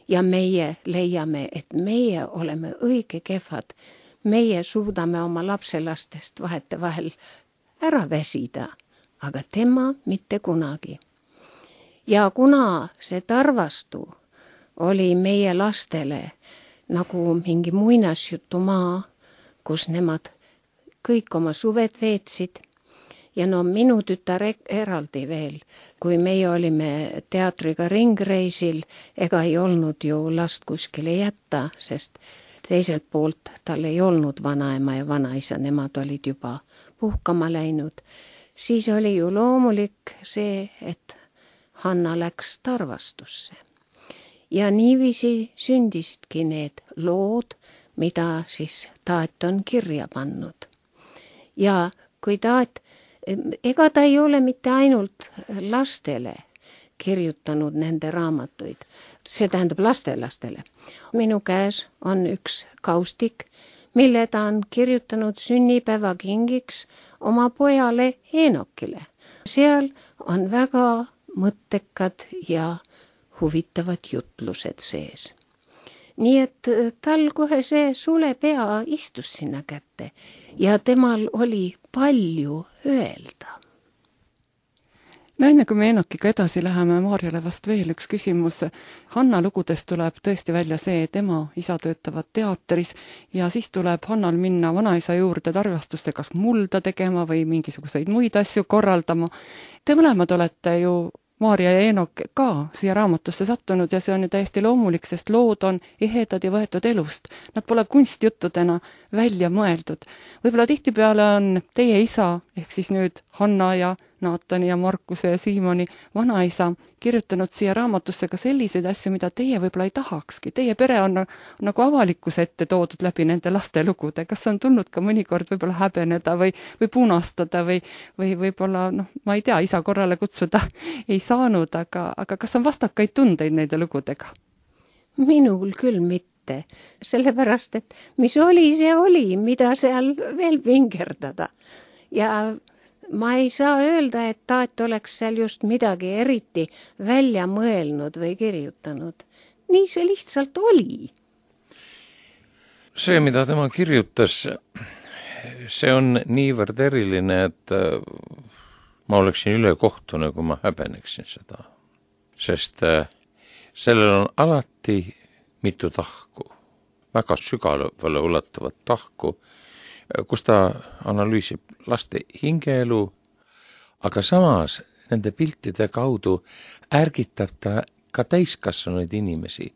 Ja meie leiame, et meie oleme õige kehvad. Meie suudame oma lapselastest vahetevahel ära väsida, aga tema mitte kunagi. Ja kuna see Tarvastu oli meie lastele nagu mingi muinasjutumaa, kus nemad kõik oma suved veetsid, ja no minu tütar eraldi veel, kui meie olime teatriga ringreisil, ega ei olnud ju last kuskile jätta, sest teiselt poolt tal ei olnud vanaema ja vanaisa, nemad olid juba puhkama läinud, siis oli ju loomulik see, et Hanna läks Tarvastusse. Ja niiviisi sündisidki need lood, mida siis taat on kirja pannud. Ja kui taat ega ta ei ole mitte ainult lastele kirjutanud nende raamatuid, see tähendab lastelastele. Minu käes on üks kaustik, mille ta on kirjutanud sünnipäeva kingiks oma pojale Enokile. Seal on väga mõttekad ja huvitavad jutlused sees. Nii et tal kohe see sulepea istus sinna kätte ja temal oli palju öelda. No enne kui me Enokiga edasi läheme, Maarjale vast veel üks küsimus. Hanna lugudest tuleb tõesti välja see, et ema isa töötavad teatris ja siis tuleb Hannal minna vanaisa juurde Tarvastusse kas mulda tegema või mingisuguseid muid asju korraldama. Te mõlemad olete ju Maarja ja Enok ka siia raamatusse sattunud ja see on ju täiesti loomulik, sest lood on ehedad ja võetud elust. Nad pole kunstjuttudena välja mõeldud. Võib-olla tihtipeale on teie isa, ehk siis nüüd Hanna ja Naatani ja Markuse ja Siimoni vanaisa kirjutanud siia raamatusse ka selliseid asju, mida teie võib-olla ei tahakski. Teie pere on nagu avalikkuse ette toodud läbi nende laste lugude. Kas on tulnud ka mõnikord võib-olla häbeneda või, või punastada või, või võib-olla, noh, ma ei tea, isa korrale kutsuda ei saanud, aga, aga kas on vastakaid tundeid neide lugudega? Minul küll mitte, sellepärast, et mis oli, see oli, mida seal veel vingerdada. Ja ma ei saa öelda, et taat oleks seal just midagi eriti välja mõelnud või kirjutanud. Nii see lihtsalt oli. See, mida tema kirjutas, see on niivõrd eriline, et ma oleksin ülekohtune, kui ma häbeneksin seda. Sest sellel on alati mitu tahku, väga sügavale ulatuvat tahku, kus ta analüüsib laste hingeelu, aga samas nende piltide kaudu ärgitab ta ka täiskasvanuid inimesi,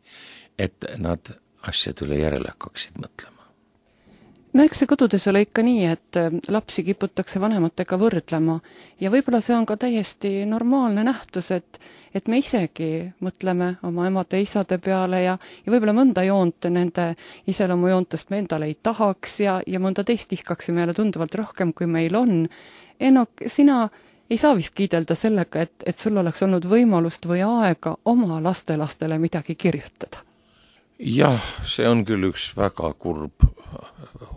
et nad asjadele järele hakkaksid mõtlema. No eks see kodudes ole ikka nii, et lapsi kiputakse vanematega võrdlema ja võib-olla see on ka täiesti normaalne nähtus, et, et me isegi mõtleme oma emade ja isade peale ja, ja võib-olla mõnda joont nende iseloomujoontest me endale ei tahaks ja, ja mõnda teist tihkaksime jälle tunduvalt rohkem, kui meil on. Enok, sina ei saa vist kiidelda sellega, et, et sul oleks olnud võimalust või aega oma lastelastele midagi kirjutada. Jah, see on küll üks väga kurb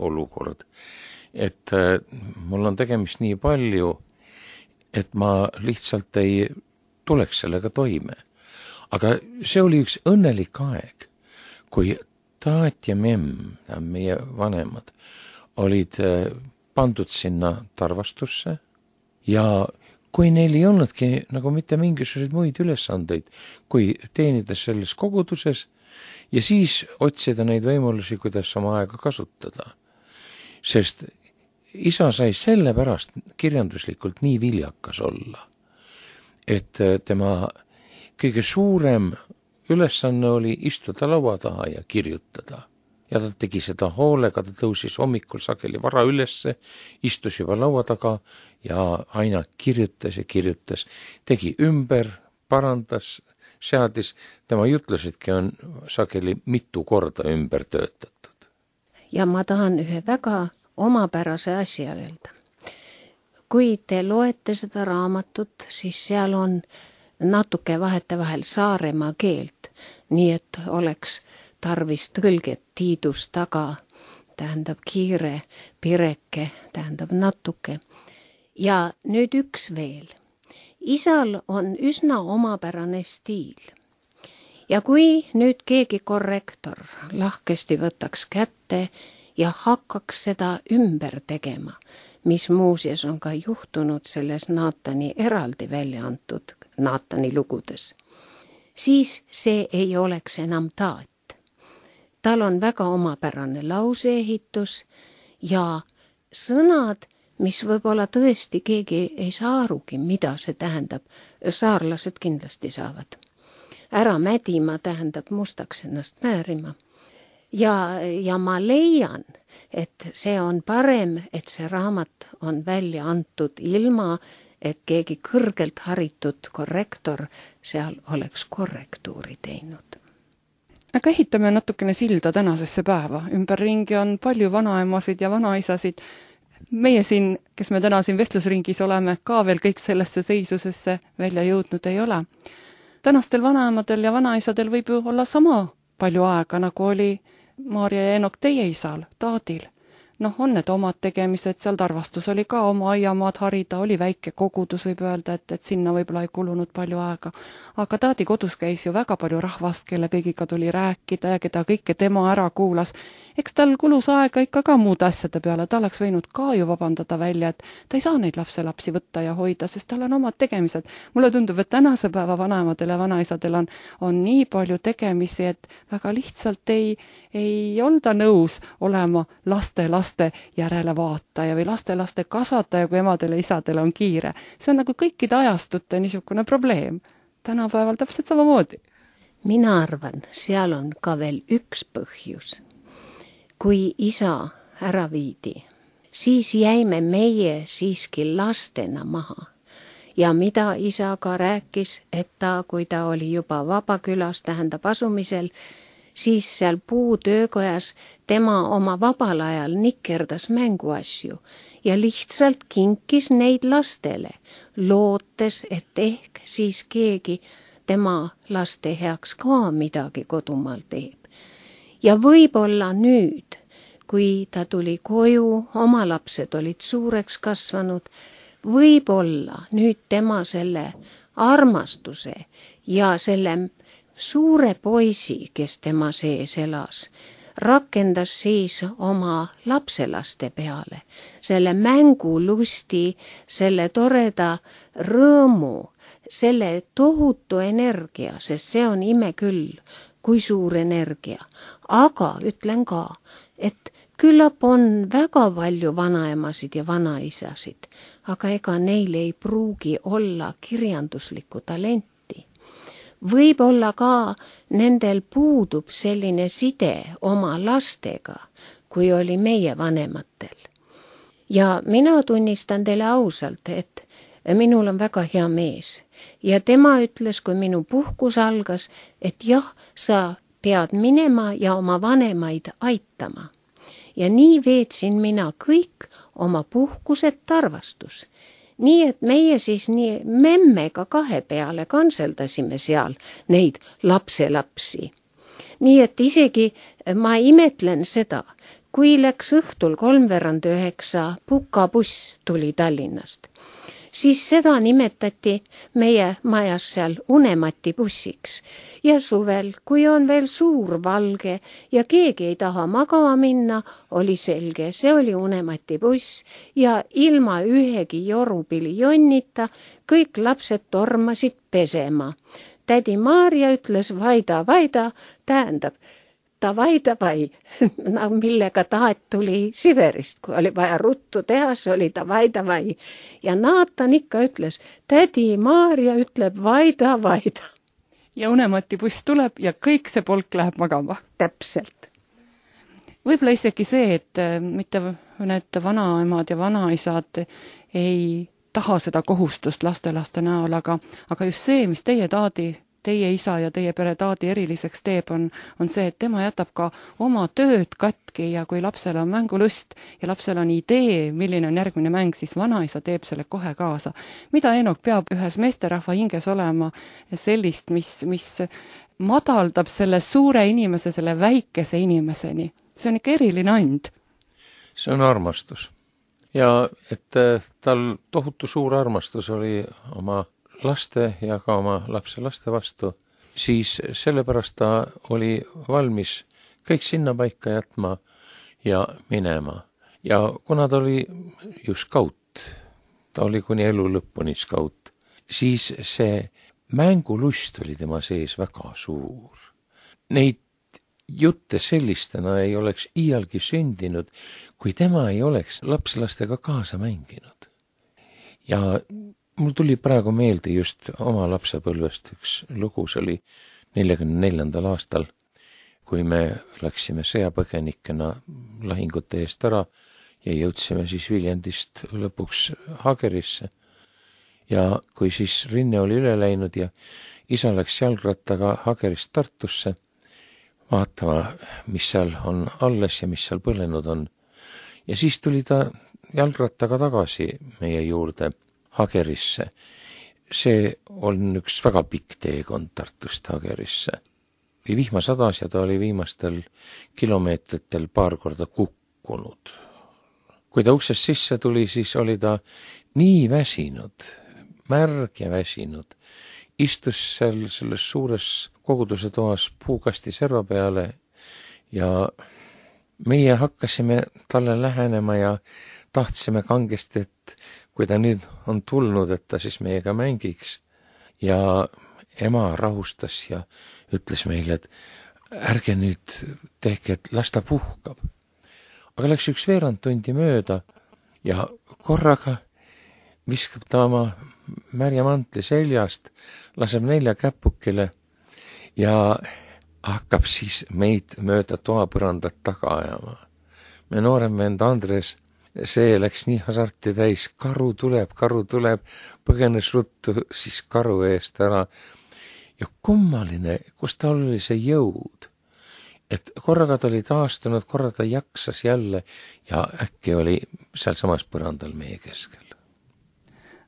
olukord, et mul on tegemist nii palju, et ma lihtsalt ei tuleks sellega toime. Aga see oli üks õnnelik aeg, kui taat ja memm, meie vanemad, olid pandud sinna tarvastusse ja kui neil ei olnudki nagu mitte mingisuguseid muid ülesandeid, kui teenida selles koguduses ja siis otsida neid võimalusi, kuidas oma aega kasutada. Sest isa sai sellepärast kirjanduslikult nii viljakas olla, et tema kõige suurem ülesanne oli istuda laua taha ja kirjutada. Ja ta tegi seda hoolega, ta tõusis hommikul sageli vara ülesse, istus juba laua taga ja aina kirjutas ja kirjutas, tegi ümber, parandas, seadis, tema jutlusedki on sageli mitu korda ümber töötatud. Ja ma tahan ühe väga omapärase asja öelda. Kui te loete seda raamatut, siis seal on natuke vahetevahel Saaremaa keelt, nii et oleks tarvis tõlget tiidus taga, tähendab kiire, pireke, tähendab natuke. Ja nüüd üks veel. Isal on üsna omapärane stiil. Ja kui nüüd keegi korrektor lahkesti võtaks kätte ja hakkaks seda ümber tegema, mis muuseas on ka juhtunud selles Naatani eraldi välja antud Naatani lugudes, siis see ei oleks enam taat. Tal on väga omapärane lauseehitus ja sõnad, mis võib-olla tõesti keegi ei saa arugi, mida see tähendab. Saarlased kindlasti saavad. Ära mädima tähendab mustaks ennast määrima. Ja, ja ma leian, et see on parem, et see raamat on välja antud ilma, et keegi kõrgelt haritud korrektor seal oleks korrektuuri teinud. Aga ehitame natukene silda tänasesse päeva. Ümberringi on palju vanaemasid ja vanaisasid. Meie siin, kes me täna siin vestlusringis oleme, ka veel kõik sellesse seisusesse välja jõudnud ei ole. Tänastel vanaemadel ja vanaisadel võib ju olla sama palju aega, nagu oli Maarja ja Enok teie isal, taadil. Noh, on need omad tegemised, seal tarvastus oli ka oma aiamaad harida, oli väike kogudus, võib öelda, et, et sinna võib-olla ei kulunud palju aega. Aga taadi kodus käis ju väga palju rahvast, kelle kõigiga tuli rääkida ja keda kõike tema ära kuulas. Eks tal kulus aega ikka ka muude asjade peale, ta oleks võinud ka ju vabandada välja, et ta ei saa neid lapselapsi võtta ja hoida, sest tal on omad tegemised. Mulle tundub, et tänase päeva vanaemadel ja vanaisadel on, on nii palju tegemisi, et väga lihtsalt ei, ei olda nõus olema laste laste järele vaataja või laste-laste kasvataja, kui emadele ja isadele on kiire. See on nagu kõikide ajastute niisugune probleem. Tänapäeval täpselt samamoodi. Mina arvan, seal on ka veel üks põhjus. Kui isa ära viidi, siis jäime meie siiski lastena maha. ja mida isa ka rääkis, et ta, kui ta oli juba Vabakülas, tähendab asumisel, siis seal puutöökojas tema oma vabal ajal nikerdas mänguasju ja lihtsalt kinkis neid lastele, lootes, et ehk siis keegi tema laste heaks ka midagi kodumaal teeb. Ja võib-olla nüüd, kui ta tuli koju, oma lapsed olid suureks kasvanud, võib-olla nüüd tema selle armastuse ja selle suure poisi, kes tema sees elas, rakendas siis oma lapselaste peale, selle mängulusti, selle toreda rõõmu, selle tohutu energia, sest see on ime küll, kui suur energia. Aga ütlen ka, et küllap on väga palju vanaemasid ja vanaisasid, aga ega neil ei pruugi olla kirjanduslikku talenti. Võib-olla ka nendel puudub selline side oma lastega, kui oli meie vanematel. Ja mina tunnistan teile ausalt, et minul on väga hea mees ja tema ütles, kui minu puhkus algas, et jah, sa pead minema ja oma vanemaid aitama. Ja nii veetsin mina kõik oma puhkused Tarvastus. Nii et meie siis nii memmega kahe peale kanseldasime seal neid lapselapsi. Nii et isegi ma imetlen seda, kui läks õhtul kolmveerand üheksa pukabuss tuli Tallinnast, siis seda nimetati meie majas seal unemati bussiks. Ja suvel, kui on veel suur valge ja keegi ei taha magama minna, oli selge, see oli unemati buss ja ilma ühegi jorupili jonnita kõik lapsed tormasid pesema. Tädi Maarja ütles vaida, vaida, tähendab, davai, davai, millega tahet tuli Siberist, kui oli vaja ruttu teha, see oli davai, davai. Ja Naatan ikka ütles, tädi Maarja ütleb vaida, vaida. Ja unemati buss tuleb ja kõik see polk läheb magama. Täpselt. Võib-olla isegi see, et mitte need vanaemad ja vanaisad ei taha seda kohustust lastelaste näol, aga, aga just see, mis teie taadi, teie isa ja teie pere taadi eriliseks teeb, on, on see, et tema jätab ka oma tööd katki ja kui lapsel on mängulust ja lapsel on idee, milline on järgmine mäng, siis vanaisa teeb selle kohe kaasa. Mida Eenok peab ühes meesterahva hinges olema sellist, mis, mis madaldab selle suure inimese, selle väikese inimeseni? See on ikka eriline and. See on armastus. Ja et tal tohutu suur armastus oli oma laste ja ka oma lapse laste vastu, siis sellepärast ta oli valmis kõik sinna paika jätma ja minema. Ja kuna ta oli ju skaut, ta oli kuni elu lõpuni skaut, siis see mängulust oli tema sees väga suur. Neid jutte sellistena ei oleks iialgi sündinud, kui tema ei oleks lapselastega kaasa mänginud. Ja mul tuli praegu meelde just oma lapsepõlvest üks lugu, see oli neljakümne neljandal aastal, kui me läksime sõjapõgenikena lahingute eest ära ja jõudsime siis Viljandist lõpuks Hagerisse. Ja kui siis rinne oli üle läinud ja isa läks jalgrattaga Hagerist Tartusse, vaatama, mis seal on alles ja mis seal põlenud on. Ja siis tuli ta jalgrattaga tagasi meie juurde Hagerisse. See on üks väga pikk teekond Tartust Hagerisse. Vihma sadas ja ta oli viimastel kilomeetritel paar korda kukkunud. Kui ta uksest sisse tuli, siis oli ta nii väsinud, märg ja väsinud. Istus seal selles suures koguduse toas puukasti serva peale ja meie hakkasime talle lähenema ja tahtsime kangesti, et kui ta nüüd on tulnud, et ta siis meiega mängiks. Ja ema rahustas ja ütles meile, et ärge nüüd tehke, et las ta puhkab. Aga läks üks veerand tundi mööda ja korraga viskab ta oma märja mantli seljast, laseb nelja käpukile ja hakkab siis meid mööda toapõrandat taga ajama. Me noorem vend Andres see läks nii hasarti täis, karu tuleb, karu tuleb, põgenes ruttu siis karu eest ära. Ja kummaline, kus tal oli see jõud, et korraga ta oli taastunud, korra ta jaksas jälle ja äkki oli seal samas põrandal meie keskel.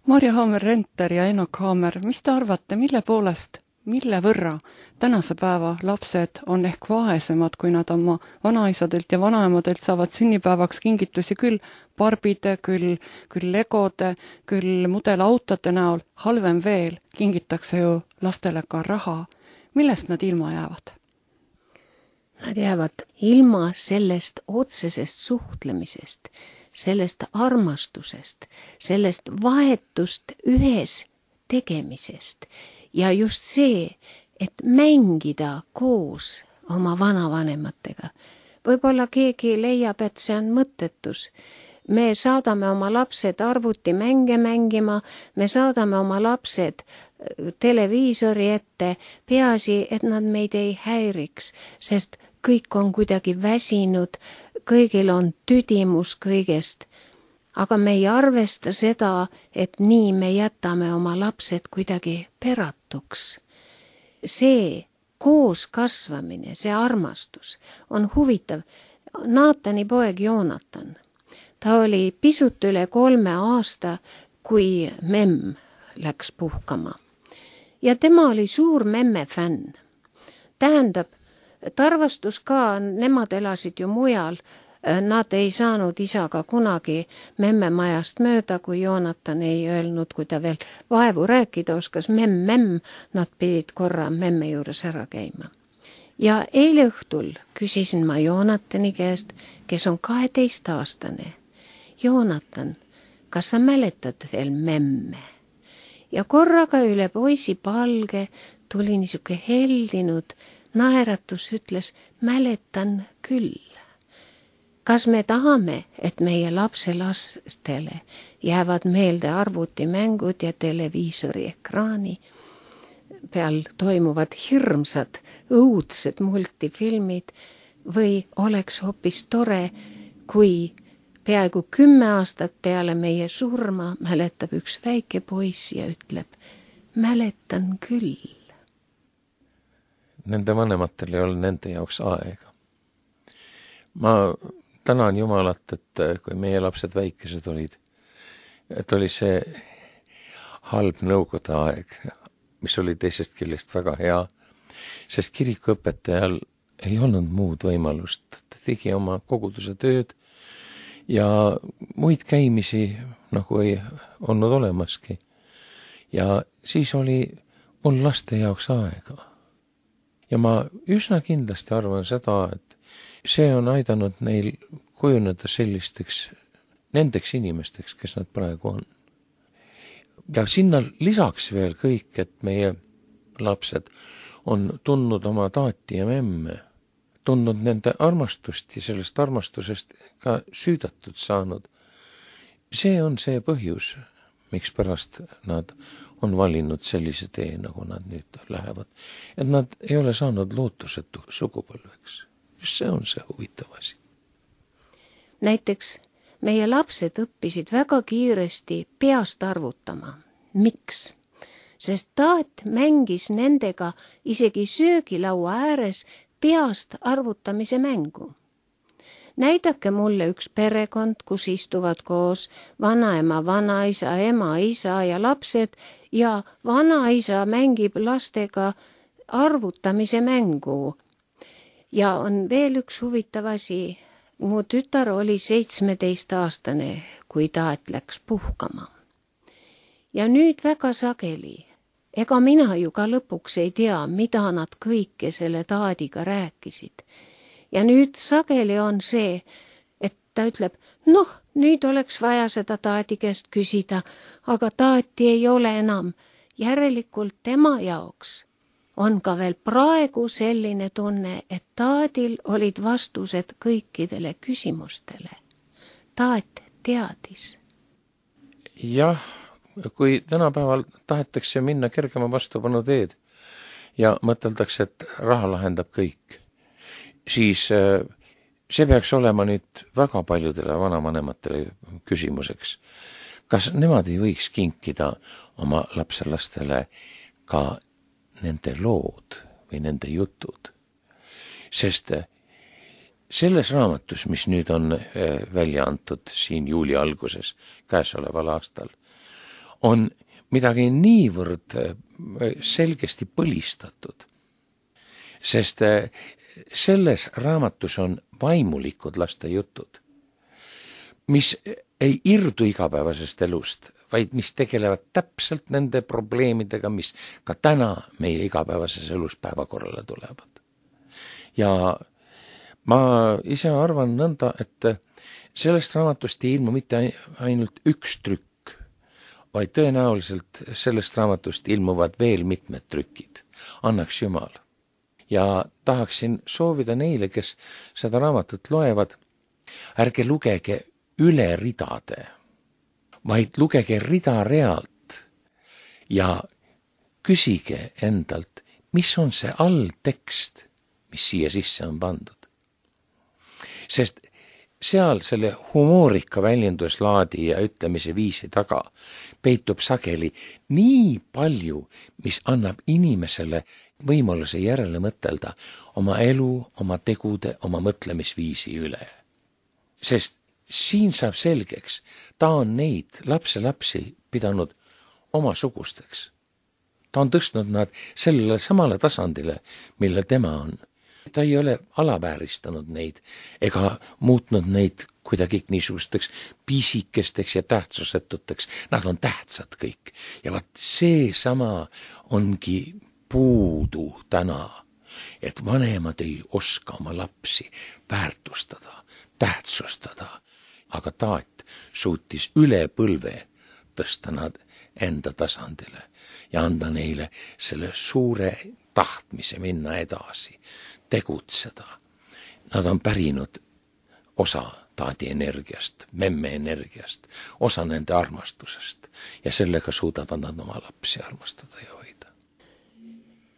Marja Haamer-Renter ja Enok Haamer, mis te arvate, mille poolest, mille võrra tänase päeva lapsed on ehk vaesemad, kui nad oma vanaisadelt ja vanaemadelt saavad sünnipäevaks kingitusi küll barbide, küll, küll legode, küll mudelautode näol, halvem veel, kingitakse ju lastele ka raha. Millest nad ilma jäävad? Nad jäävad ilma sellest otsesest suhtlemisest, sellest armastusest, sellest vahetust ühes tegemisest ja just see, et mängida koos oma vanavanematega. Võib-olla keegi leiab, et see on mõttetus. Me saadame oma lapsed arvutimänge mängima, me saadame oma lapsed televiisori ette, peaasi, et nad meid ei häiriks, sest kõik on kuidagi väsinud, kõigil on tüdimus kõigest. Aga me ei arvesta seda, et nii me jätame oma lapsed kuidagi peratuks. See koos kasvamine, see armastus on huvitav. Naatani poeg Joonatan, ta oli pisut üle kolme aasta, kui memm läks puhkama. Ja tema oli suur memme fänn. Tähendab, tarvastus ka, nemad elasid ju mujal, nad ei saanud isaga kunagi memme majast mööda, kui Joonatan ei öelnud, kui ta veel vaevu rääkida oskas, memm, memm, nad pidid korra memme juures ära käima. Ja eile õhtul küsisin ma Joonatani käest, kes on kaheteistaastane. Joonatan, kas sa mäletad veel memme? Ja korraga üle poisi palge tuli niisuke heldinud naeratus, ütles, mäletan küll. Kas me tahame, et meie lapselastele jäävad meelde arvutimängud ja televiisori ekraani peal toimuvad hirmsad, õudsed multifilmid või oleks hoopis tore, kui peaaegu kümme aastat peale meie surma mäletab üks väike poiss ja ütleb, mäletan küll. Nende vanematel ei ole nende jaoks aega. Ma tänan Jumalat, et kui meie lapsed väikesed olid, et oli see halb nõukogude aeg, mis oli teisest küljest väga hea, sest kirikuõpetajal ei olnud muud võimalust. Ta tegi oma koguduse tööd ja muid käimisi nagu ei olnud olemaski. Ja siis oli mul laste jaoks aega. Ja ma üsna kindlasti arvan seda, et see on aidanud neil kujuneda sellisteks, nendeks inimesteks, kes nad praegu on. Ja sinna lisaks veel kõik, et meie lapsed on tundnud oma taati ja memme, tundnud nende armastust ja sellest armastusest ka süüdatud saanud. See on see põhjus, miks pärast nad on valinud sellise tee, nagu nad nüüd lähevad. Et nad ei ole saanud lootusetu sugupõlveks. Just see on see huvitav asi. Näiteks meie lapsed õppisid väga kiiresti peast arvutama. Miks? Sest taat mängis nendega isegi söögilaua ääres peast arvutamise mängu. Näidake mulle üks perekond, kus istuvad koos vanaema, vanaisa, ema, isa ja lapsed ja vanaisa mängib lastega arvutamise mängu. Ja on veel üks huvitav asi. Mu tütar oli seitsmeteistaastane, kui taat läks puhkama. Ja nüüd väga sageli, ega mina ju ka lõpuks ei tea, mida nad kõike selle taadiga rääkisid. Ja nüüd sageli on see, et ta ütleb, noh, nüüd oleks vaja seda taadi käest küsida, aga taati ei ole enam. Järelikult tema jaoks on ka veel praegu selline tunne, et taadil olid vastused kõikidele küsimustele. Taat teadis. Jah, kui tänapäeval tahetakse minna kergema vastupanu teed ja mõteldakse, et raha lahendab kõik, siis see peaks olema nüüd väga paljudele vanavanematele küsimuseks. Kas nemad ei võiks kinkida oma lapselastele ka nende lood või nende jutud? Sest selles raamatus, mis nüüd on välja antud siin juuli alguses käesoleval aastal, on midagi niivõrd selgesti põlistatud, sest selles raamatus on vaimulikud laste jutud, mis ei irdu igapäevasest elust, vaid mis tegelevad täpselt nende probleemidega, mis ka täna meie igapäevases elus päevakorrale tulevad. Ja ma ise arvan nõnda, et sellest raamatust ei ilmu mitte ainult üks trükk, vaid tõenäoliselt sellest raamatust ilmuvad veel mitmed trükid. Annaks Jumal. Ja tahaksin soovida neile, kes seda raamatut loevad, ärge lugege üle ridade, vaid lugege rida realt ja küsige endalt, mis on see alltekst, mis siia sisse on pandud. Sest seal selle humoorika väljenduslaadi ja ütlemise viisi taga peitub sageli nii palju, mis annab inimesele võimaluse järele mõtelda oma elu, oma tegude, oma mõtlemisviisi üle. Sest siin saab selgeks, ta on neid lapselapsi pidanud oma sugusteks. Ta on tõstnud nad sellele samale tasandile, mille tema on. Ta ei ole alavääristanud neid ega muutnud neid kuidagi niisugusteks pisikesteks ja tähtsusetuteks. Nad on tähtsad kõik. Ja vaat see sama ongi puudu täna, et vanemad ei oska oma lapsi väärtustada, tähtsustada. Aga taat suutis üle põlve tõsta nad enda tasandile ja anda neile selle suure tahtmise minna edasi, tegutseda. Nad on pärinud osa taadi energiast, memme energiast, osa nende armastusest ja sellega suudavad nad oma lapsi armastada ja hoida.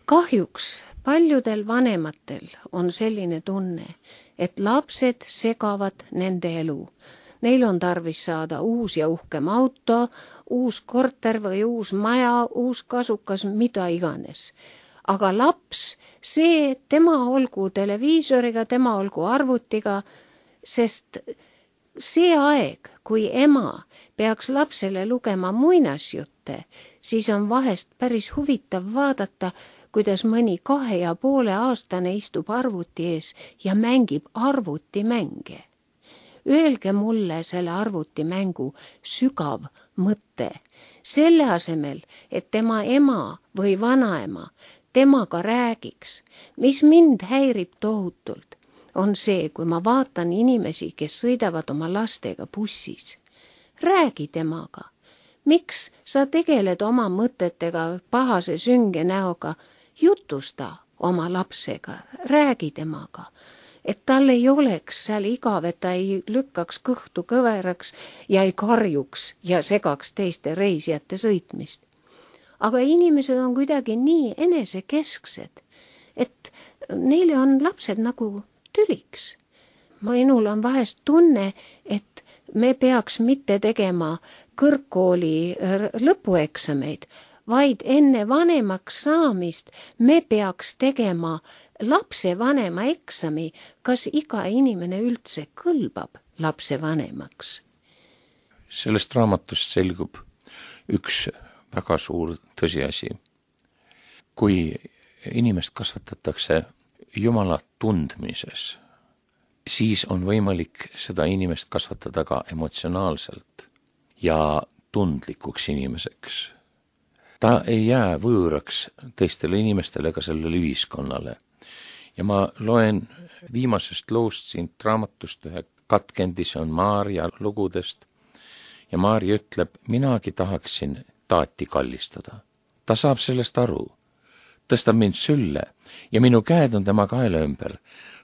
Kahjuks paljudel vanematel on selline tunne, et lapsed segavad nende elu. Neil on tarvis saada uus ja uhkem auto, uus korter või uus maja, uus kasukas, mida iganes. Aga laps, see, tema olgu televiisoriga, tema olgu arvutiga, sest see aeg, kui ema peaks lapsele lugema muinasjutte, siis on vahest päris huvitav vaadata, kuidas mõni kahe ja poole aastane istub arvuti ees ja mängib arvutimänge. Öelge mulle selle arvutimängu sügav mõte. Selle asemel, et tema ema või vanaema temaga räägiks, mis mind häirib tohutult, on see, kui ma vaatan inimesi, kes sõidavad oma lastega bussis. Räägi temaga. Miks sa tegeled oma mõtetega pahase sünge näoga? Jutusta oma lapsega, räägi temaga. Et tal ei oleks seal igav, et ta ei lükkaks kõhtu kõveraks ja ei karjuks ja segaks teiste reisijate sõitmist. Aga inimesed on kuidagi nii enesekesksed, et neile on lapsed nagu tüliks. Minul on vahest tunne, et me peaks mitte tegema kõrgkooli lõpueksameid, vaid enne vanemaks saamist me peaks tegema lapse vanema eksami, kas iga inimene üldse kõlbab lapse vanemaks. Sellest raamatust selgub üks väga suur tõsiasi. Kui inimest kasvatatakse Jumala tundmises, siis on võimalik seda inimest kasvatada ka emotsionaalselt ja tundlikuks inimeseks. Ta ei jää võõraks teistele inimestele ega sellele ühiskonnale. Ja ma loen viimasest loost siit raamatust ühe katkendi, see on Maarja lugudest. Ja Maarja ütleb, minagi tahaksin taati kallistada. Ta saab sellest aru. Tõstab mind sülle ja minu käed on tema kaela ümber.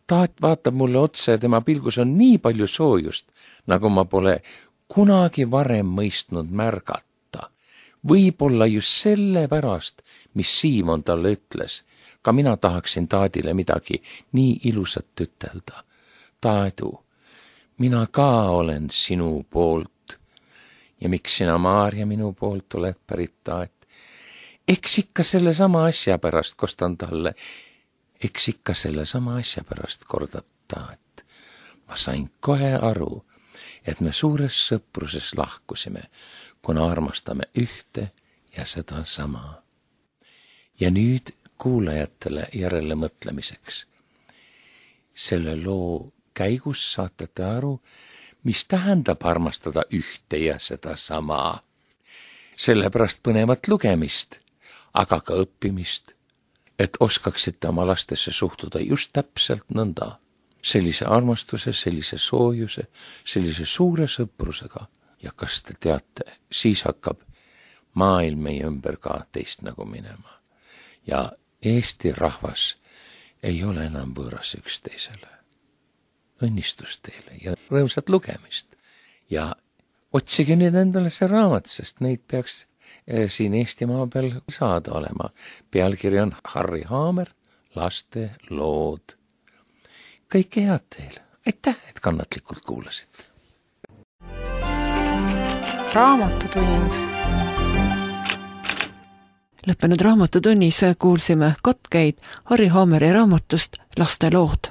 Taat vaatab mulle otsa ja tema pilgus on nii palju soojust, nagu ma pole kunagi varem mõistnud märgata. Võib-olla just selle pärast, mis Siimon talle ütles, ka mina tahaksin taadile midagi nii ilusat ütelda. Taedu, mina ka olen sinu poolt ja miks sina, Maarja, minu poolt oled pärit Taat. Eks ikka selle sama asja pärast, kostan talle, eks ikka selle sama asja pärast, kordab Taat. Ma sain kohe aru, et me suures sõpruses lahkusime, kuna armastame ühte ja seda sama. Ja nüüd kuulajatele järele mõtlemiseks. Selle loo käigus saate aru, mis tähendab armastada ühte ja seda sama. Sellepärast põnevat lugemist, aga ka õppimist, et oskaksite oma lastesse suhtuda just täpselt nõnda. Sellise armastuse, sellise soojuse, sellise suure sõprusega. Ja kas te teate, siis hakkab maailm meie ümber ka teist nagu minema. Ja Eesti rahvas ei ole enam võõras üksteisele. Õnnistus teile ja rõõmsat lugemist. Ja otsige nüüd endale see raamat, sest neid peaks siin Eestimaa peal saada olema. Pealkiri on Harri Haamer, laste lood. Kõike head teile. Aitäh, et kannatlikult kuulasite. Raamatutund. Lõppenud raamatutunnis kuulsime katkeid Harri Haameri raamatust Laste lood.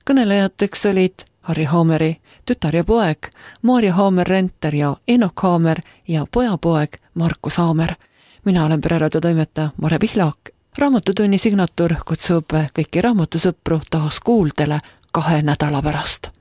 Kõnelejateks olid Harri Haameri tütar ja poeg, Maarja Haamer-Renter ja Enok Haamer ja pojapoeg Markus Haamer. Mina olen pereraadiotoimetaja Mare Pihlak. Raamatutunni signatuur kutsub kõiki raamatusõpru taas kuuldele kahe nädala pärast.